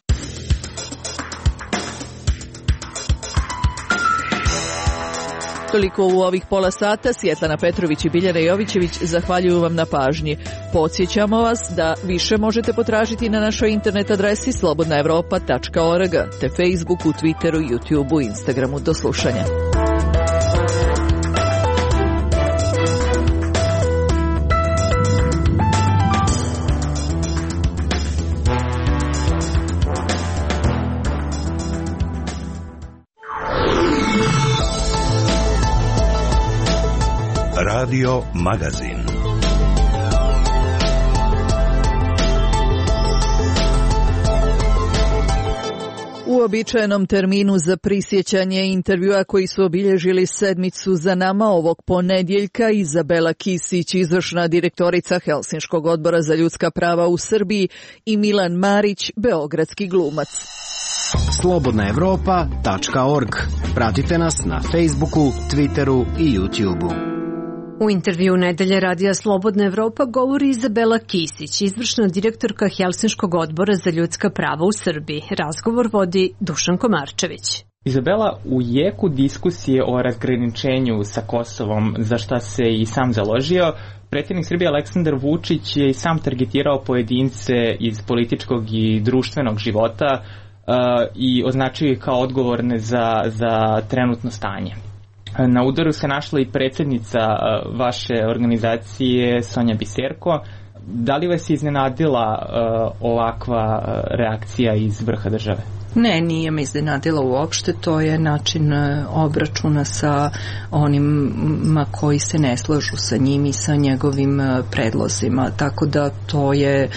Toliko u ovih pola sata. Svjetlana Petrović i Biljana Jovićević zahvaljuju vam na pažnji. Podsjećamo vas da više možete potražiti na našoj internet adresi slobodna evropa tačka org, te Facebooku, Twitteru, YouTubeu, Instagramu. Do slušanja. Radio Magazin. U uobičajenom terminu za prisjećanje intervjua koji su obilježili sedmicu za nama ovog ponedjeljka Izabela Kisić, izvršna direktorica Helsinškog odbora za ljudska prava u Srbiji, i Milan Marić, beogradski glumac. slobodna evropa tačka org. Pratite nas na Facebooku, Twitteru i YouTubeu. U intervju Nedelje radija Slobodna Evropa govori Izabela Kisić, izvršna direktorka Helsinškog odbora za ljudska prava u Srbiji. Razgovor vodi Dušan Komarčević. Izabela, u jeku diskusije o razgraničenju sa Kosovom, za šta se i sam založio, predsjednik Srbije Aleksandar Vučić je i sam targetirao pojedince iz političkog i društvenog života uh, i označio ih kao odgovorne za, za trenutno stanje. Na udaru se našla i predsjednica vaše organizacije Sonja Biserko. Da li vas je iznenadila uh, ovakva reakcija iz vrha države? Ne, nije me iznenadila uopšte, to je način obračuna sa onima koji se ne slažu sa njim i sa njegovim predlozima, tako da to je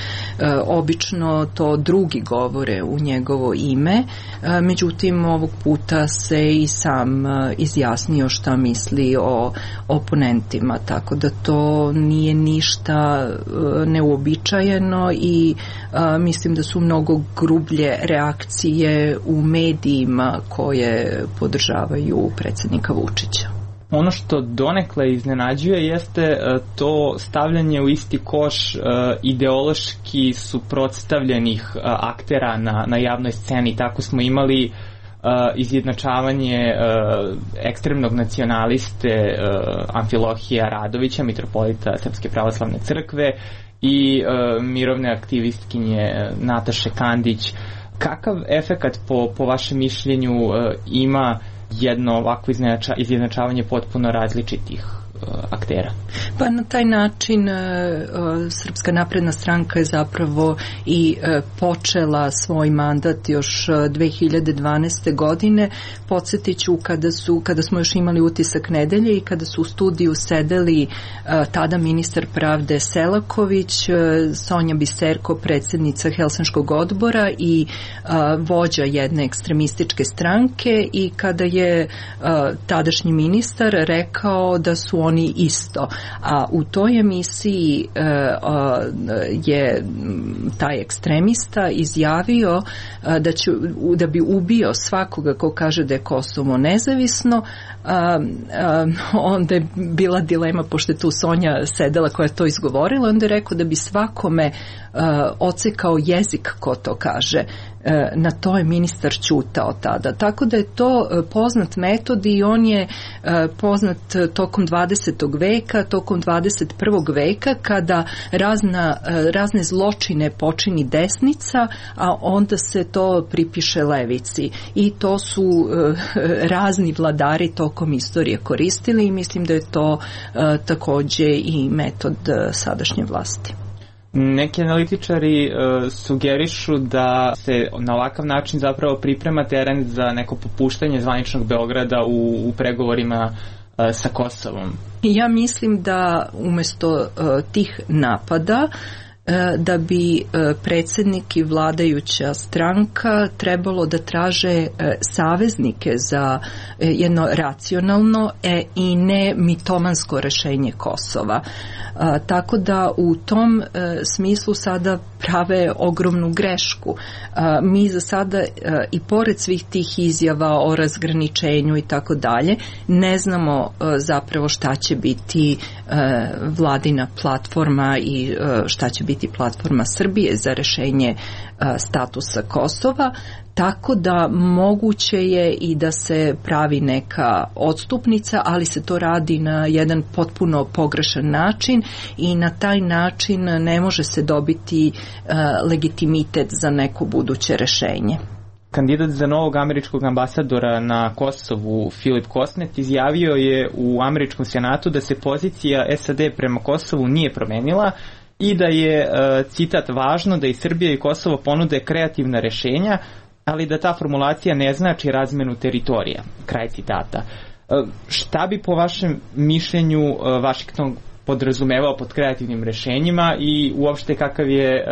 obično to drugi govore u njegovo ime, međutim ovog puta se i sam izjasnio šta misli o oponentima, tako da to nije ništa neuobičajeno i mislim da su mnogo grublje reakcije u medijima koje podržavaju predsjednika Vučića. Ono što donekle iznenađuje jeste to stavljanje u isti koš ideološki suprotstavljenih aktera na, na javnoj sceni. Tako smo imali izjednačavanje ekstremnog nacionaliste Amfilohija Radovića, mitropolita Srpske pravoslavne crkve, i mirovne aktivistkinje Nataše Kandić. Kakav efekat po, po vašem mišljenju ima jedno ovako izjednačavanje potpuno različitih aktera? Pa na taj način Srpska napredna stranka je zapravo i počela svoj mandat još dve hiljade dvanaeste. godine. Podsjetit ću kada, su, kada smo još imali Utisak nedelje i kada su u studiju sedeli tada ministar pravde Selaković, Sonja Biserko, predsjednica Helsinškog odbora i vođa jedne ekstremističke stranke, i kada je tadašnji ministar rekao da su oni isto. A u toj emisiji e, a, je taj ekstremista izjavio a, da, će, da bi ubio svakoga ko kaže da je Kosovo nezavisno. A, a, onda je bila dilema, pošto je tu Sonja sedela koja je to izgovorila, onda je rekao da bi svakome a, ocekao jezik ko to kaže. Na to je ministar ćutao tada. Tako da je to poznat metod i on je poznat tokom dvadesetog veka, tokom dvadeset prvog veka, kada razna, razne zločine počini desnica, a onda se to pripiše levici. I to su razni vladari tokom istorije koristili i mislim da je to takođe i metod sadašnje vlasti. Neki analitičari uh, sugerišu da se na ovakav način zapravo priprema teren za neko popuštanje zvaničnog Beograda u, u pregovorima uh, sa Kosovom. Ja mislim da umesto uh, tih napada da bi predsjednik i vladajuća stranka trebalo da traže saveznike za jedno racionalno i ne mitomansko rešenje Kosova. Tako da u tom smislu sada prave ogromnu grešku. Mi za sada i pored svih tih izjava o razgraničenju i tako dalje ne znamo zapravo šta će biti vladina platforma i šta će biti platforma Srbije za rešenje statusa Kosova, tako da moguće je i da se pravi neka odstupnica, ali se to radi na jedan potpuno pogrešan način i na taj način ne može se dobiti legitimitet za neko buduće rešenje. Kandidat za novog američkog ambasadora na Kosovu, Filip Kosnet, izjavio je u američkom senatu da se pozicija S A D prema Kosovu nije promenila i da je, citat, važno da i Srbija i Kosovo ponude kreativna rešenja, ali da ta formulacija ne znači razmenu teritorija. Kraj citata. Šta bi po vašem mišljenju Vašington podrazumevao pod kreativnim rešenjima i uopšte kakav je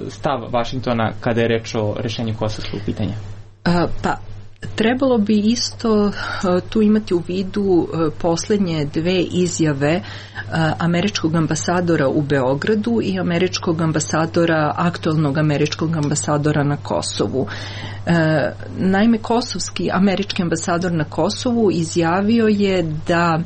stav Vašingtona kada je reč o rešenju kosovskog pitanja? Pa, trebalo bi isto tu imati u vidu poslednje dve izjave američkog ambasadora u Beogradu i američkog ambasadora, aktualnog američkog ambasadora na Kosovu. Naime, kosovski američki ambasador na Kosovu izjavio je da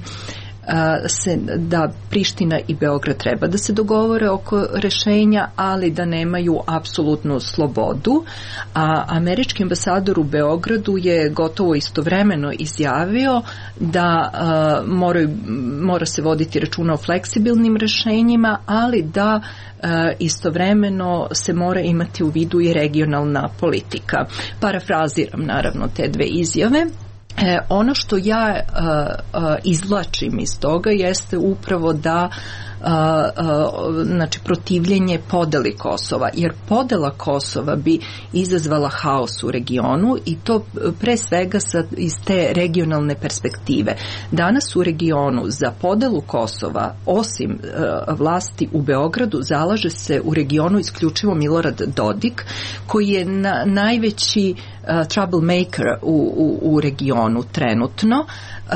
se, da Priština i Beograd treba da se dogovore oko rešenja, ali da nemaju apsolutnu slobodu, a američki ambasador u Beogradu je gotovo istovremeno izjavio da uh, moraju, mora se voditi računa o fleksibilnim rešenjima, ali da uh, istovremeno se mora imati u vidu i regionalna politika. Parafraziram naravno te dve izjave. E, ono što ja uh, uh, izvlačim iz toga jeste upravo da Uh, uh, znači protivljenje podeli Kosova, jer podela Kosova bi izazvala haos u regionu i to pre svega sa, iz te regionalne perspektive. Danas u regionu za podelu Kosova, osim uh, vlasti u Beogradu, zalaže se u regionu isključivo Milorad Dodik, koji je na, najveći uh, troublemaker u, u, u regionu trenutno. Uh,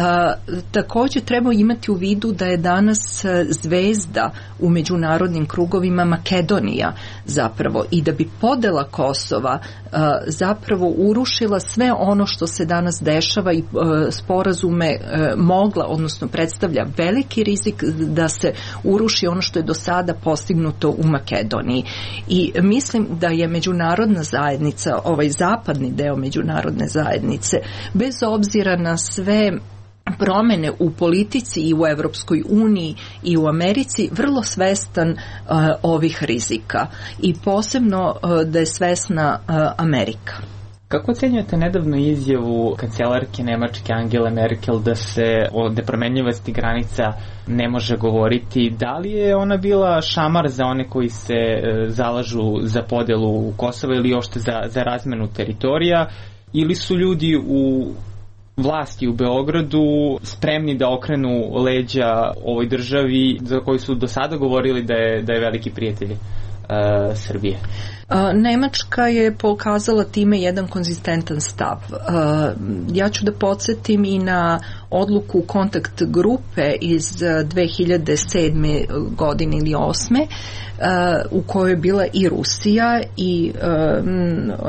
također treba imati u vidu da je danas zvezda u međunarodnim krugovima Makedonija zapravo i da bi podela Kosova uh, zapravo urušila sve ono što se danas dešava i uh, sporazume uh, mogla, odnosno predstavlja veliki rizik da se uruši ono što je do sada postignuto u Makedoniji. I mislim da je međunarodna zajednica, ovaj zapadni deo međunarodne zajednice, bez obzira na sve promene u politici i u Evropskoj uniji i u Americi, vrlo svestan uh, ovih rizika i posebno uh, da je svesna uh, Amerika. Kako ocenjujete nedavnu izjavu kancelarke Nemačke Angele Merkel da se o nepromenljivosti granica ne može govoriti? Da li je ona bila šamar za one koji se uh, zalažu za podelu Kosova ili ošte za, za razmenu teritorija, ili su ljudi u vlasti u Beogradu spremni da okrenu leđa ovoj državi za koju su do sada govorili da je, da je veliki prijatelj uh, Srbije? Nemačka je pokazala time jedan konzistentan stav. Ja ću da podsjetim i na odluku kontakt grupe iz dve hiljade sedme godine ili osme u kojoj je bila i Rusija i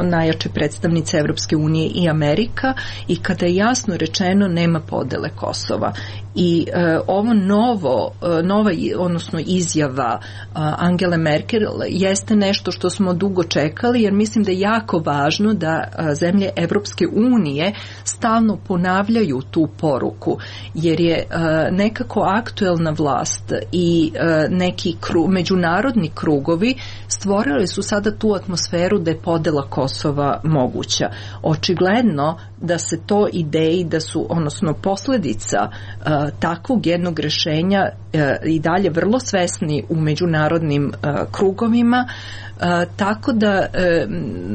najjače predstavnice Evropske unije i Amerika, i kada je jasno rečeno nema podele Kosova. I ovo novo, nova, odnosno izjava Angele Merkel jeste nešto što smo dugo čekali, jer mislim da je jako važno da zemlje Evropske unije stalno ponavljaju tu poruku, jer je nekako aktuelna vlast i neki kru, međunarodni krugovi stvorili su sada tu atmosferu da je podela Kosova moguća. Očigledno da se to ideji da su, odnosno posledica uh, takvog jednog rešenja uh, i dalje vrlo svesni u međunarodnim uh, krugovima, uh, tako da, uh,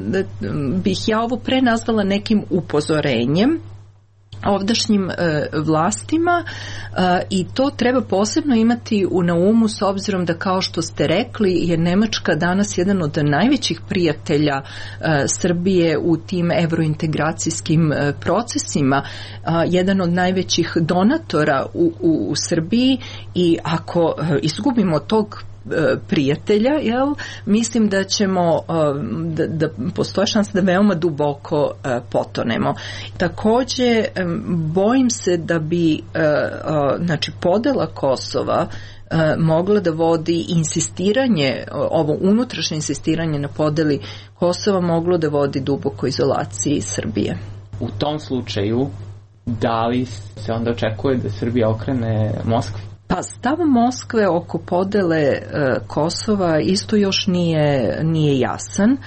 da bih ja ovo pre nazvala nekim upozorenjem. ovdašnjim e, vlastima e, i to treba posebno imati u na umu s obzirom da, kao što ste rekli, je Nemačka danas jedan od najvećih prijatelja e, Srbije u tim evrointegracijskim e, procesima, e, jedan od najvećih donatora u, u, u Srbiji, i ako e, izgubimo tog prijatelja, jel, mislim da ćemo da, da postoje šansa da veoma duboko potonemo. Takođe, bojim se da bi znači podela Kosova mogla da vodi insistiranje, ovo unutrašnje insistiranje na podeli Kosova moglo da vodi duboko izolaciji Srbije. U tom slučaju, da li se onda očekuje da Srbija okrene Moskvi? Pa stav Moskve oko podele e, Kosova isto još nije, nije jasan.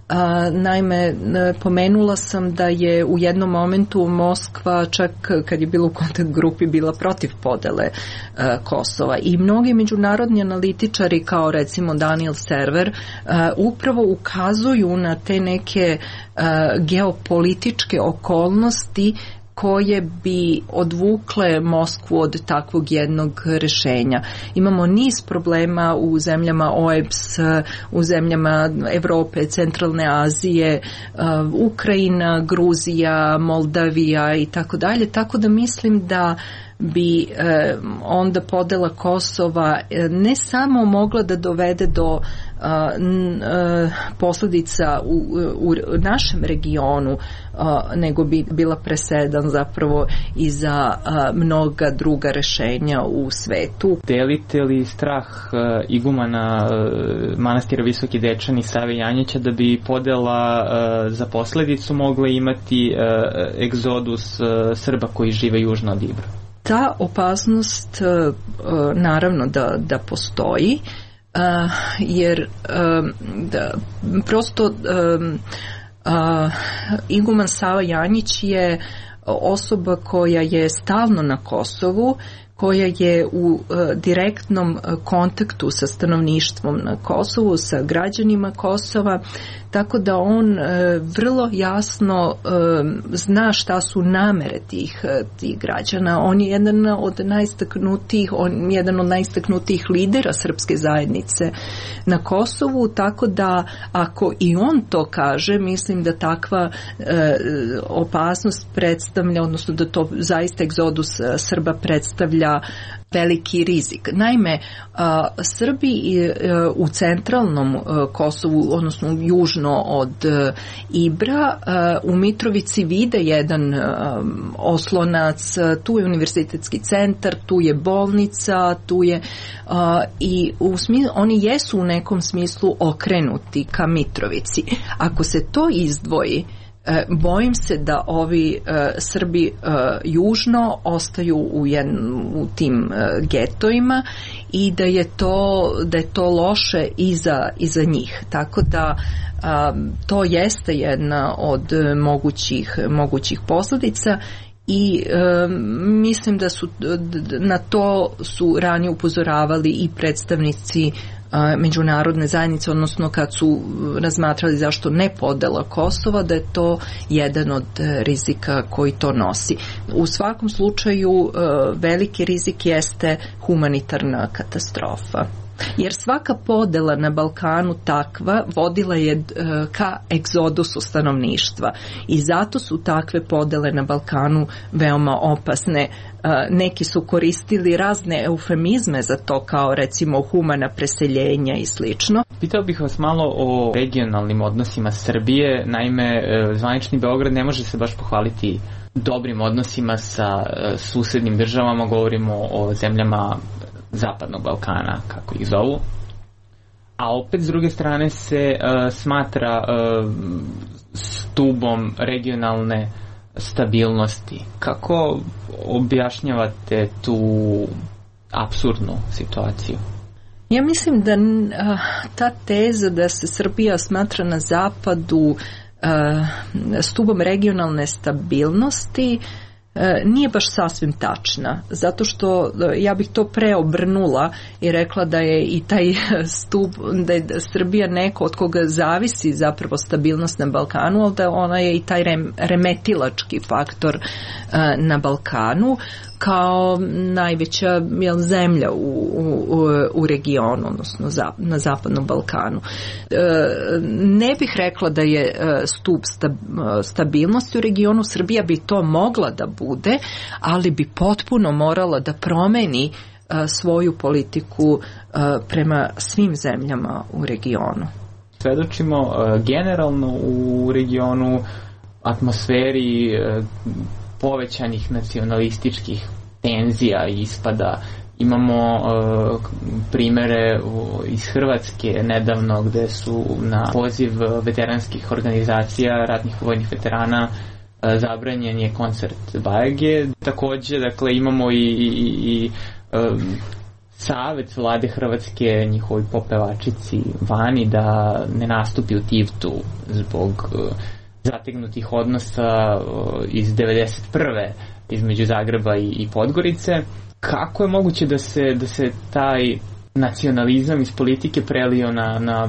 A, naime, pomenula sam da je u jednom momentu Moskva, čak kad je bila u kontakt grupi, bila protiv podele e, Kosova, i mnogi međunarodni analitičari kao recimo Daniel Server e, upravo ukazuju na te neke e, geopolitičke okolnosti koje bi odvukle Moskvu od takvog jednog rešenja. Imamo niz problema u zemljama O E B S, u zemljama Evrope, Centralne Azije, Ukrajina, Gruzija, Moldavija i tako dalje, tako da mislim da bi eh, onda podela Kosova eh, ne samo mogla da dovede do eh, n, eh, posledica u, u našem regionu, eh, nego bi bila presedan zapravo i za eh, mnoga druga rešenja u svetu. Delite li strah eh, igumana eh, manastira Visoki Dečani Save Janjića da bi podela eh, za posledicu mogla imati eh, egzodus eh, Srba koji žive južno od Ibra? Ta opasnost naravno da, da postoji, jer da, prosto iguman Sava Janjić je osoba koja je stalno na Kosovu, koja je u direktnom kontaktu sa stanovništvom na Kosovu, sa građanima Kosova, tako da on e, vrlo jasno e, zna šta su namere tih, tih građana. On je jedan od najistaknutijih, on je jedan od najistaknutijih lidera srpske zajednice na Kosovu, tako da ako i on to kaže, mislim da takva e, opasnost predstavlja, odnosno da to zaista egzodus Srba predstavlja veliki rizik. Naime, a, Srbi a, u centralnom a, Kosovu, odnosno južno od a, Ibra, a, u Mitrovici vide jedan a, oslonac, a, tu je univerzitetski centar, tu je bolnica, tu je a, i u smislu, oni jesu u nekom smislu okrenuti ka Mitrovici. Ako se to izdvoji, E, bojim se da ovi e, Srbi e, južno ostaju u, jedn, u tim e, getojima i da je to, da je to loše i za, i za njih. Tako da a, to jeste jedna od mogućih, mogućih posljedica i e, mislim da su na to su ranije upozoravali i predstavnici međunarodne zajednice, odnosno kad su razmatrali zašto ne podela Kosova, da je to jedan od rizika koji to nosi. U svakom slučaju veliki rizik jeste humanitarna katastrofa. Jer svaka podela na Balkanu takva vodila je ka egzodusu stanovništva i zato su takve podele na Balkanu veoma opasne. Neki su koristili razne eufemizme za to, kao recimo humana preseljenja i slično. Pitao bih vas malo o regionalnim odnosima Srbije. Naime, zvanični Beograd ne može se baš pohvaliti dobrim odnosima sa susednim državama, govorimo o zemljama Zapadnog Balkana, kako ih zovu. A opet, s druge strane, se uh, smatra uh, stubom regionalne stabilnosti. Kako objašnjavate tu apsurdnu situaciju? Ja mislim da uh, ta teza da se Srbija smatra na zapadu uh, stubom regionalne stabilnosti nije baš sasvim tačna, zato što ja bih to preobrnula i rekla da je i taj stup, da je Srbija neko od koga zavisi zapravo stabilnost na Balkanu, ali da ona je i taj remetilački faktor na Balkanu kao najveća jel, zemlja u, u, u regionu, odnosno za, na zapadnom Balkanu. E, ne bih rekla da je stup stabilnosti u regionu. Srbija bi to mogla da bude, ali bi potpuno morala da promeni svoju politiku prema svim zemljama u regionu. Svedočimo generalno u regionu atmosferi povećanih nacionalističkih tenzija i ispada. Imamo uh, primere iz Hrvatske nedavno gde su na poziv veteranskih organizacija ratnih vojnih veterana uh, zabranjen je koncert Bajage. Takođe, dakle, imamo i, i, i um, savet vlade Hrvatske njihovi popevačici vani da ne nastupi u Tivtu zbog uh, zategnutih odnosa iz devedeset prve između Zagreba i, i Podgorice. Kako je moguće da se, da se taj nacionalizam iz politike prelio na, na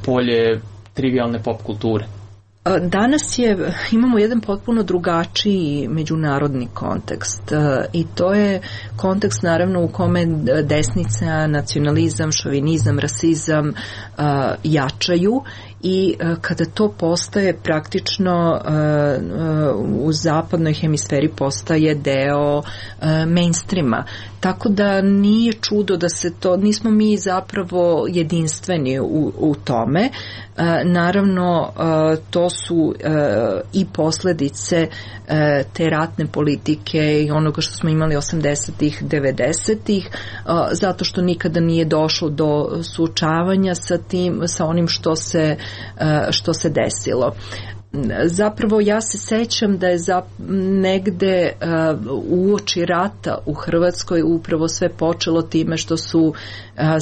polje trivialne pop kulture? Danas je, imamo jedan potpuno drugačiji međunarodni kontekst i to je kontekst naravno u kome desnica, nacionalizam, šovinizam, rasizam jačaju i kada to postaje praktično u zapadnoj hemisferi postaje deo mainstreama. Tako da nije čudo da se to, nismo mi zapravo jedinstveni u, u tome. Naravno, to su i posledice te ratne politike i onoga što smo imali osamdesetih, devedesetih, zato što nikada nije došlo do suočavanja sa tim, sa onim što se, što se desilo. Zapravo ja se sećam da je za negde uh, uoči rata u Hrvatskoj upravo sve počelo time što su uh,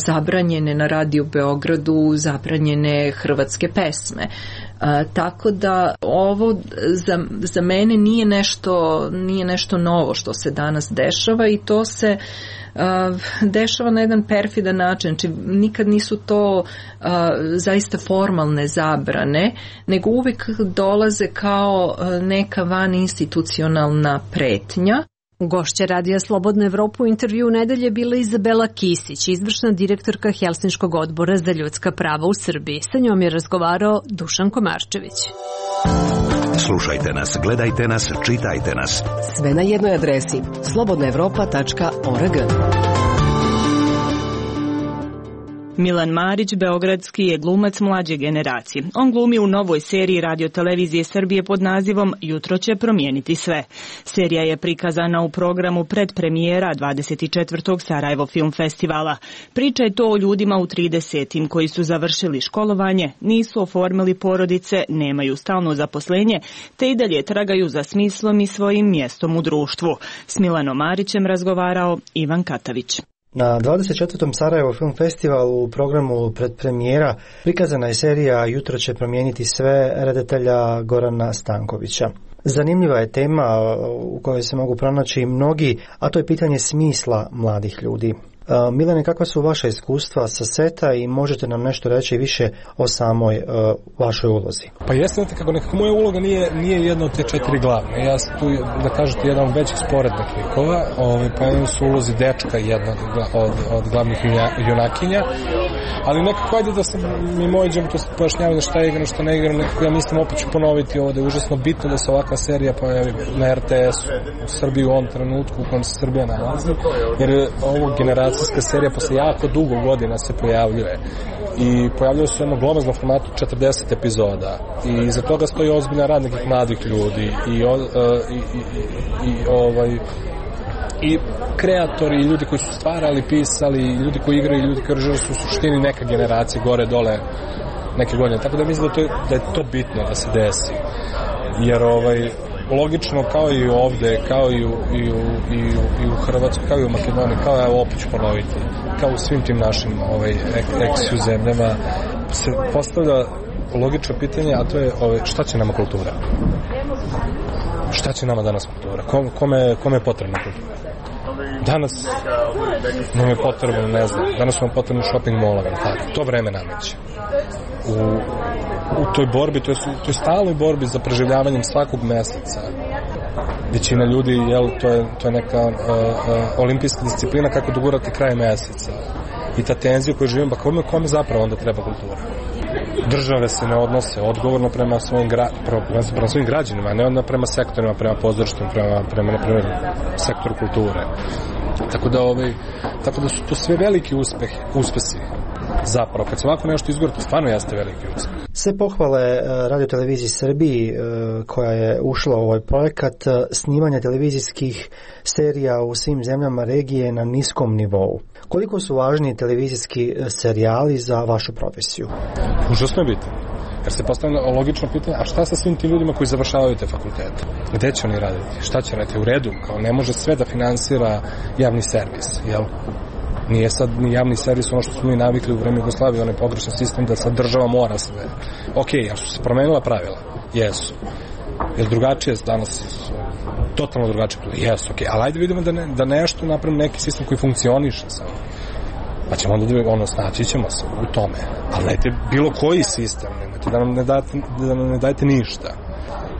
zabranjene na Radio Beogradu zabranjene hrvatske pesme. Uh, tako da ovo za, za mene nije nešto, nije nešto novo što se danas dešava i to se Uh, dešava na jedan perfidan način. Znači, nikad nisu to uh, zaista formalne zabrane, nego uvijek dolaze kao uh, neka van institucionalna pretnja. Gošća Radija Slobodna Evropa u intervju nedelje bila Izabela Kisić, izvršna direktorka Helsinškog odbora za ljudska prava u Srbiji. Sa njom je razgovarao Dušan Komarčević. Slušajte nas, gledajte nas, čitajte nas. Sve na jednoj adresi slobodna evropa tačka org. Milan Marić, beogradski je glumac mlađe generacije. On glumi u novoj seriji Radio-televizije Srbije pod nazivom Jutro će promijeniti sve. Serija je prikazana u programu predpremijera dvadeset četvrtog Sarajevo Film Festivala. Priča je to o ljudima u tridesetim koji su završili školovanje, nisu oformili porodice, nemaju stalno zaposlenje, te i dalje tragaju za smislom i svojim mjestom u društvu. S Milanom Marićem razgovarao Ivan Katavić. Na dvadeset četvrtom Sarajevo Film Festivalu u programu predpremijera prikazana je serija Jutro će promijeniti sve redatelja Gorana Stankovića. Zanimljiva je tema u kojoj se mogu pronaći mnogi, a to je pitanje smisla mladih ljudi. Milane, kakva su vaša iskustva sa seta i možete nam nešto reći više o samoj uh, vašoj ulozi? Pa jeste, znate kako, nekako moja uloga nije, nije jedna od te četiri glavne. Ja sam tu, da kažete, jedan od većih sporednih likova, ovaj, pa jedan su ulozi dečka jedna od, od glavnih junakinja, ali nekako ajde da sam mi moj džem to pojašnjavaju šta je igram, šta ne igram, nekako ja mislim opet ću ponoviti ovo da je užasno bitno da se ovakva serija pojavi na er te es u Srbiji u ovom trenutku u kojem se Srbija nalazi, jer ovo generacija serija posle jako dugo godina se pojavljuje i pojavljuje se u jednom glomaznom formatu četrdeset epizoda i iza toga stoji ozbiljan rad nekih mladih ljudi i, o, i, i, i ovaj i kreatori, i ljudi koji su stvarali, pisali, i ljudi koji igraju, i ljudi koji režiraju su u suštini neka generacija gore dole neke godine, tako da mislim da, to je, da je to bitno da se desi, jer ovaj logično kao i ovde, kao i u, i u, i u, i u Hrvatskoj, kao i u Makedoniji, kao evo opet ću ponoviti, kao u svim tim našim ovaj, eksiju zemljama se postavlja logično pitanje, a to je ovaj, šta će nama kultura? Šta će nama danas kultura? Kome, kome, kome je potrebna kultura? Danas nam je potrebno, ne znam, danas nam je potrebno shopping mall, tako, to vreme nameće. U, u toj borbi, to je, to je stalnoj borbi za preživljavanjem svakog meseca. Većina ljudi, jel, to je, to je neka uh, uh, olimpijska disciplina kako dogurati kraj meseca. I ta tenzija koju živim, pa kome, kome zapravo onda treba kultura? Države se ne odnose odgovorno prema svojim, gra, prema svojim građanima, a ne onda prema sektorima, prema pozorištima, prema, prema, na primjer, sektoru kulture. Tako da, ovaj, tako da su to sve veliki uspeh, uspesi. Zapravo, kad se ovako nešto izgore, to stvarno jeste veliki uspeh. Sve pohvale Radio-televiziji Srbiji koja je ušla u ovaj projekat snimanja televizijskih serija u svim zemljama regije na niskom nivou. Koliko su važni televizijski serijali za vašu profesiju? Užasno je bitno. Jer se postavlja logično pitanje, a šta sa svim tim ljudima koji završavaju te fakultete? Gde će oni raditi? Šta će raditi? U redu, kao ne može sve da finansira javni servis, jel? Nije sad ni javni servis ono što smo mi navikli u vreme Jugoslavije, onaj pogrešan sistem da sad država mora sve. Ok, jer su se promenila pravila? Jesu. Jer drugačije danas, totalno drugačije pravila? Jesu, ok. Ali ajde vidimo da, ne, da nešto napravimo neki sistem koji funkcioniše sad. Pa ćemo onda da ono, snaći ćemo se u tome. Ali dajte bilo koji sistem, nemojte da nam ne dajete, da nam ne dajete ništa.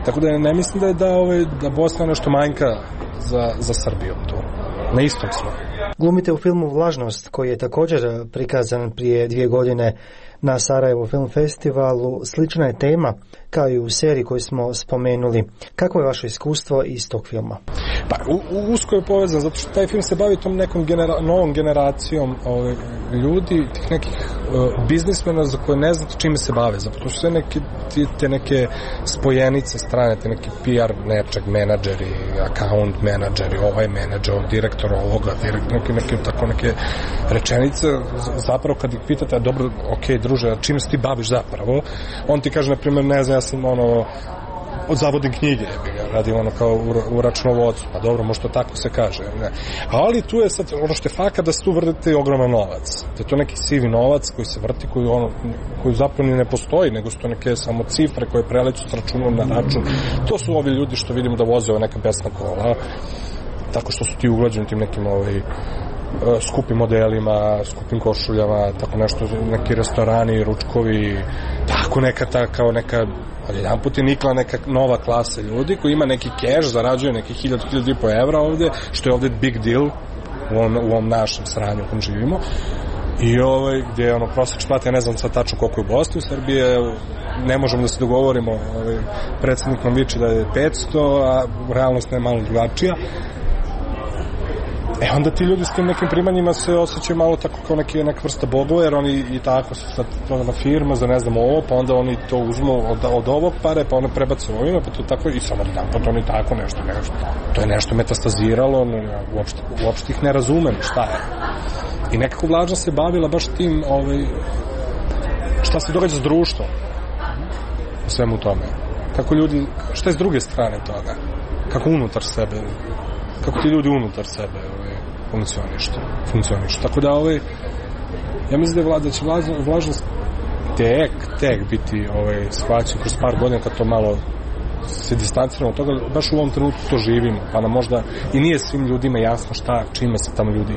Tako da ne mislim da je da, ovaj, da Bosna nešto manjka za, za Srbiju tu. Na istom smo. Glumite u filmu Vlažnost, koji je također prikazan prije dvije godine na Sarajevo Film Festivalu. Slična je tema kao i u seriji koju smo spomenuli. Kako je vaše iskustvo iz tog filma? Pa, u, u, usko je povezan, zato što taj film se bavi tom nekom genera, novom generacijom ove, ljudi, tih nekih uh, biznismena za koje ne znate čime se bave. Zato su sve neke, te neke spojenice strane, te neki P R nečeg, menadžeri, account menadžeri, ovaj menadžer, direktor ovoga, direktor, neke, neke, tako neke rečenice. Zapravo kad ih pitate, a dobro, ok, druže, čime se ti baviš zapravo? On ti kaže, na primjer, ne znam, ja sam ono, zavodim knjige, radim ono kao u, u računovodstvu, pa dobro, možda tako se kaže. Ne. Ali tu je sad, ono što je faka da se tu vrtite ogroman novac. Da je to neki sivi novac koji se vrti, koji, ono, koji zapravo ni ne postoji, nego su to neke samo cifre koje preleću s računom na račun. To su ovi ljudi što vidimo da voze ove neka besna kola, tako što su ti uglađeni tim nekim ovaj, skupim modelima, skupim košuljama, tako nešto, neki restorani, ručkovi, tako neka ta, kao neka, ali jedan put je nikla neka nova klasa ljudi koji ima neki keš, zarađuje neki hiljad, hiljad i po evra ovde, što je ovde big deal u ovom, u ovom našem sranju u kom živimo. I ovaj, gdje je ono prosječna plata, ja ne znam sad tačno koliko je u Bosni, u Srbije ne možemo da se dogovorimo, ovaj, predsjednik nam viče da je petsto, a realnost je malo drugačija. E onda ti ljudi s tim nekim primanjima se osjećaju malo tako kao neki, neka vrsta bogova, jer oni i tako su sad prodana firma za ne znam ovo, pa onda oni to uzmu od, od ovog pare, pa one prebace ovima, pa to tako i samo dan, pa to oni tako nešto, nešto. To je nešto metastaziralo, uopšte, uopšte ih ne razumem šta je. I nekako Vlažnost se bavila baš tim, ovaj, šta se događa s društvom u svemu tome. Kako ljudi, šta je s druge strane toga? Kako unutar sebe, kako ti ljudi unutar sebe ovaj, funkcionišu. funkcionišu. Tako da, ovaj, ja mislim da, je vlada, da će Vlažnost tek, tek biti ovaj, shvaćen kroz par godina kad to malo se distanciramo od toga, baš u ovom trenutku to živimo, pa nam možda i nije svim ljudima jasno šta, čime se tamo ljudi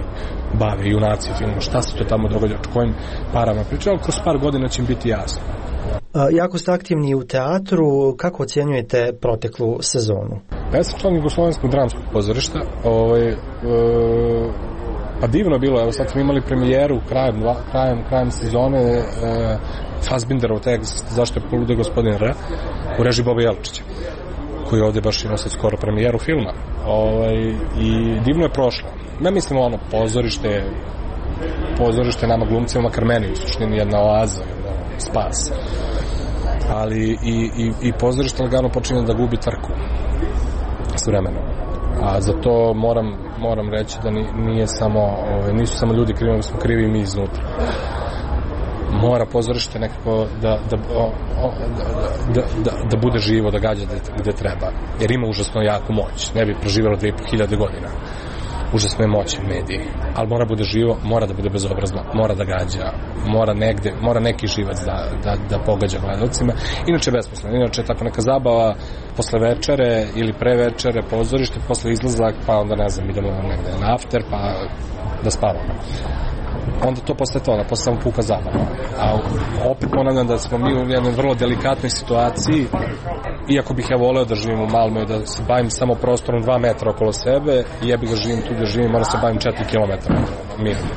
bave, junaci filmu, šta se to tamo događa, o kojim parama pričaju, ali kroz par godina će im biti jasno. Jako ste aktivni u teatru, kako ocjenjujete proteklu sezonu? Ja sam član Jugoslovenskog dramskog pozorišta, ovaj, e, pa divno je bilo, evo sad smo imali premijeru krajem, krajem, krajem sezone, e, Fassbinderov tekst Zašto je polude gospodin R u režiji Boba Jelčića, koji ovdje baš ima sad skoro premijeru filma. Ovaj, i divno je prošlo. Ja mislim ono, pozorište, pozorište nama glumcima, makar meni u suštini jedna oaza, jedna spas. Ali i, i, i pozorište lagano počinje da gubi trku s vremenom. A za to moram, moram reći da nije samo, ovaj, nisu samo ljudi krivi, smo krivi i mi iznutra. Mora pozorište nekako da, da, o, o, da, da, da bude živo, da gađa gde, gde treba. Jer ima užasno jaku moć. Ne bi preživjelo dve i po hiljade godina. užasno je moćan medij, ali mora bude živo, mora da bude bezobrazno, mora da gađa, mora negde, mora neki živac da, da, da pogađa gledalcima, inače besposleno, inače tako neka zabava posle večere ili pre večere, pozorište, posle izlazak, pa onda ne znam, idemo negde na after, pa da spavamo. Onda to posle toga, posle samo puka zabava. A opet ponavljam da smo mi u jednoj vrlo delikatnoj situaciji, iako bih ja voleo da živim u Malmöju, da se bavim samo prostorom dva metra okolo sebe, i ja bih da živim tu da živim, moram se bavim četiri kilometra mirno.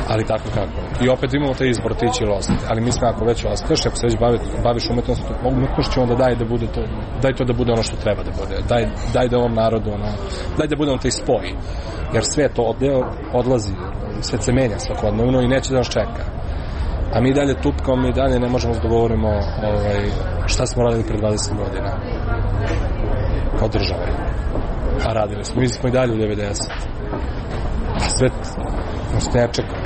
Ali tako kako. I opet imamo taj izbor, ti će ili ostati. Ali mislim, ako već ostaješ, ako se već baviš, baviš umetnost, umetnošću, onda daj da bude to, daj to da bude ono što treba da bude. Daj, daj da ovom narodu, ono, daj da bude on taj spoj. Jer sve to odleo, odlazi, sve se menja svakodnevno i neće da nas čeka. A mi dalje tupkamo, mi dalje ne možemo da dogovorimo ovaj, šta smo radili pre dvadeset godina. Kao država. A radili smo. Mi smo i dalje u devedeset. A svet nas ne čeka.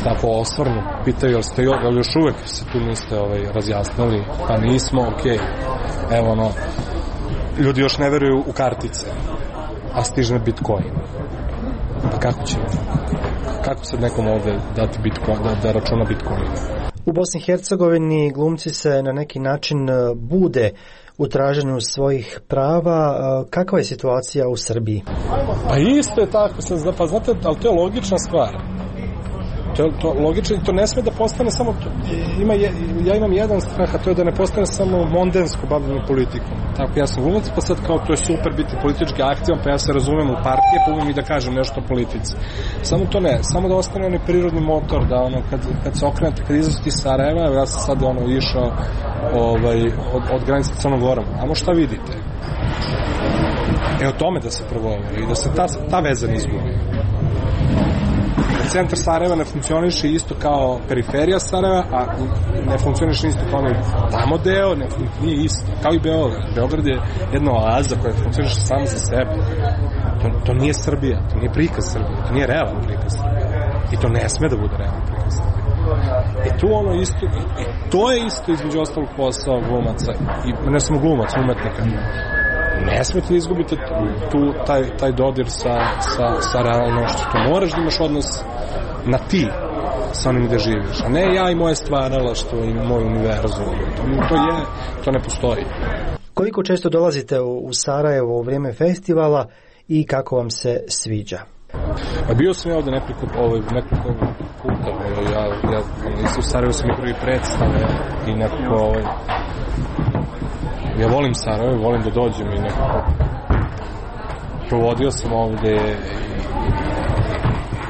Tako osvrnu, pitaju, jel ste jel još uvek se tu niste ovaj, razjasnili? Pa nismo, okej. Okay. Evo ono, ljudi još ne veruju u kartice, a stiže Bitcoin. Pa kako će? Kako sad nekom ovde dati Bitcoin, da, da računa Bitcoin? U Bosni i Hercegovini glumci se na neki način bude u traženju svojih prava. Kakva je situacija u Srbiji? Pa isto je tako, pa znate, ali to je logična stvar. To je to logično i to ne sme da postane samo to, ima je, ja imam jedan strah, a to je da ne postane samo mondensko bavljenje politikom. Tako, ja sam glumac, pa sad kao to je super biti politički aktivan, pa ja se razumem u partije, pa umem i da kažem nešto o politici. Samo to ne, samo da ostane onaj prirodni motor, da ono, kad, kad se okrenete, kad izlazi iz Sarajeva, ja sam sad ono išao ovaj, od, od granice Crnom Gorom, a šta vidite? E o tome da se prvo i da se ta, ta veza ne izgubi. Centar Sarajeva ne funkcioniše isto kao periferija Sarajeva, a ne funkcioniše isto kao onaj tamo deo, ne, nije isto, kao i Beograd. Beograd je jedna oaza koja funkcioniše samo za sebe. To, to nije Srbija, to nije prikaz Srbije, to nije realan prikaz Srbije. I to ne sme da bude realan prikaz Srbije. I tu ono isto, i, i to je isto između ostalog posao glumaca, i ne samo glumaca, umetnika. Ne smete da izgubite tu, taj, taj dodir sa, sa, sa realnošću. To moraš da imaš odnos na ti sa onim gde živiš, a ne ja i moje stvaralaštvo i moj univerzum. To, to je, to ne postoji. Koliko često dolazite u, u Sarajevo u vrijeme festivala i kako vam se sviđa? A bio sam ja ovde nekoliko, ovaj, nekoliko puta. Ovaj, ja, ja, u Sarajevo sam i prvi predstave i nekako ovaj, ja volim Sarajevo, volim da dođem i nekako provodio sam ovde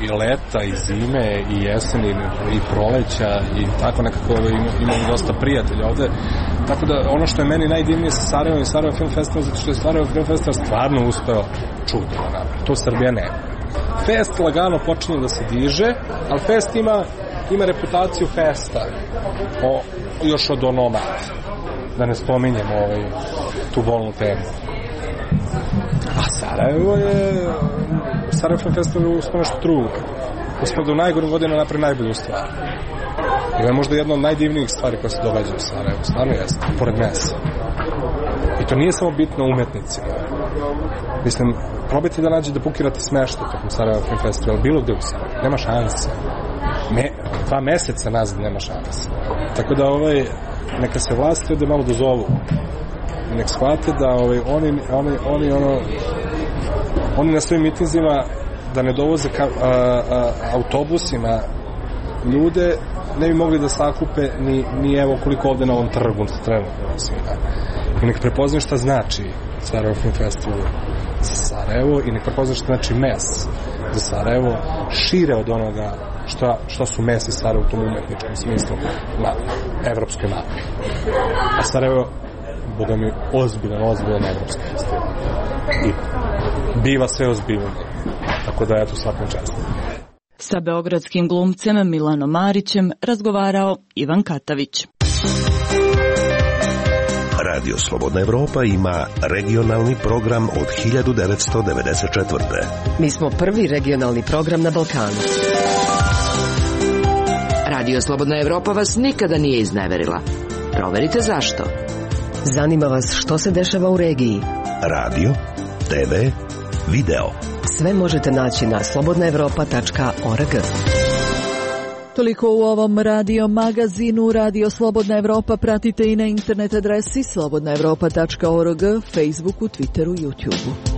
i, i leta, i zime, i jeseni, i proleća, i tako nekako imam, imam dosta prijatelja ovde. Tako da ono što je meni najdivnije sa Sarajevom i Sarajevo Film Festival, zato što je Sarajevo Film Festival stvarno uspeo čudo da napravi. To Srbija nema. Fest lagano počinje da se diže, ali fest ima, ima reputaciju festa o, još od onomad. Da ne spominjem ovaj, tu bolnu temu. A Sarajevo je... Sarajevo Film Festival je uspio nešto drugo. Uspio da u najgorim godinu napravi najbolju stvar. I ovo je možda jedna od najdivnijih stvari koja se događa u Sarajevu. Stvarno jeste, pored mesa. I to nije samo bitno umetnicima. Mislim, probajte da nađe da bukirate smešta tokom Sarajevo Film Festival, bilo gde u Sarajevu. Nema šanse. Me, dva meseca nazad nema šanse. Tako da ovaj... neka se vlasti da malo dozovu. Nek shvate da ovaj, oni, oni, oni, ono, oni na svojim mitinzima da ne dovoze ka, a, a, autobusima ljude, ne bi mogli da sakupe ni, ni evo koliko ovde na ovom trgu trenutno svima. I nek prepoznaju šta znači Sarajevo Film Festival za Sarajevo i nek prepoznaju šta znači mes za Sarajevo šire od onoga šta, šta su mesi Sarajevo u tom umetničkom smislu na evropskoj mapi. A Sarajevo, boga mi, ozbiljan, ozbiljan evropski festival. I biva sve ozbiljno. Tako da ja tu svakom častom. Sa beogradskim glumcem Milanom Marićem razgovarao Ivan Katavić. Radio Slobodna Evropa ima regionalni program od hiljadu devetsto devedeset četvrte. Mi smo prvi regionalni program na Balkanu. Radio Slobodna Evropa vas nikada nije izneverila. Proverite zašto. Zanima vas što se dešava u regiji. Radio, te ve, video. Sve možete naći na slobodna evropa tačka org. Toliko u ovom radio magazinu. Radio Slobodna Evropa pratite i na internet adresi slobodna evropa tačka org, Facebooku, Twitteru, YouTubeu.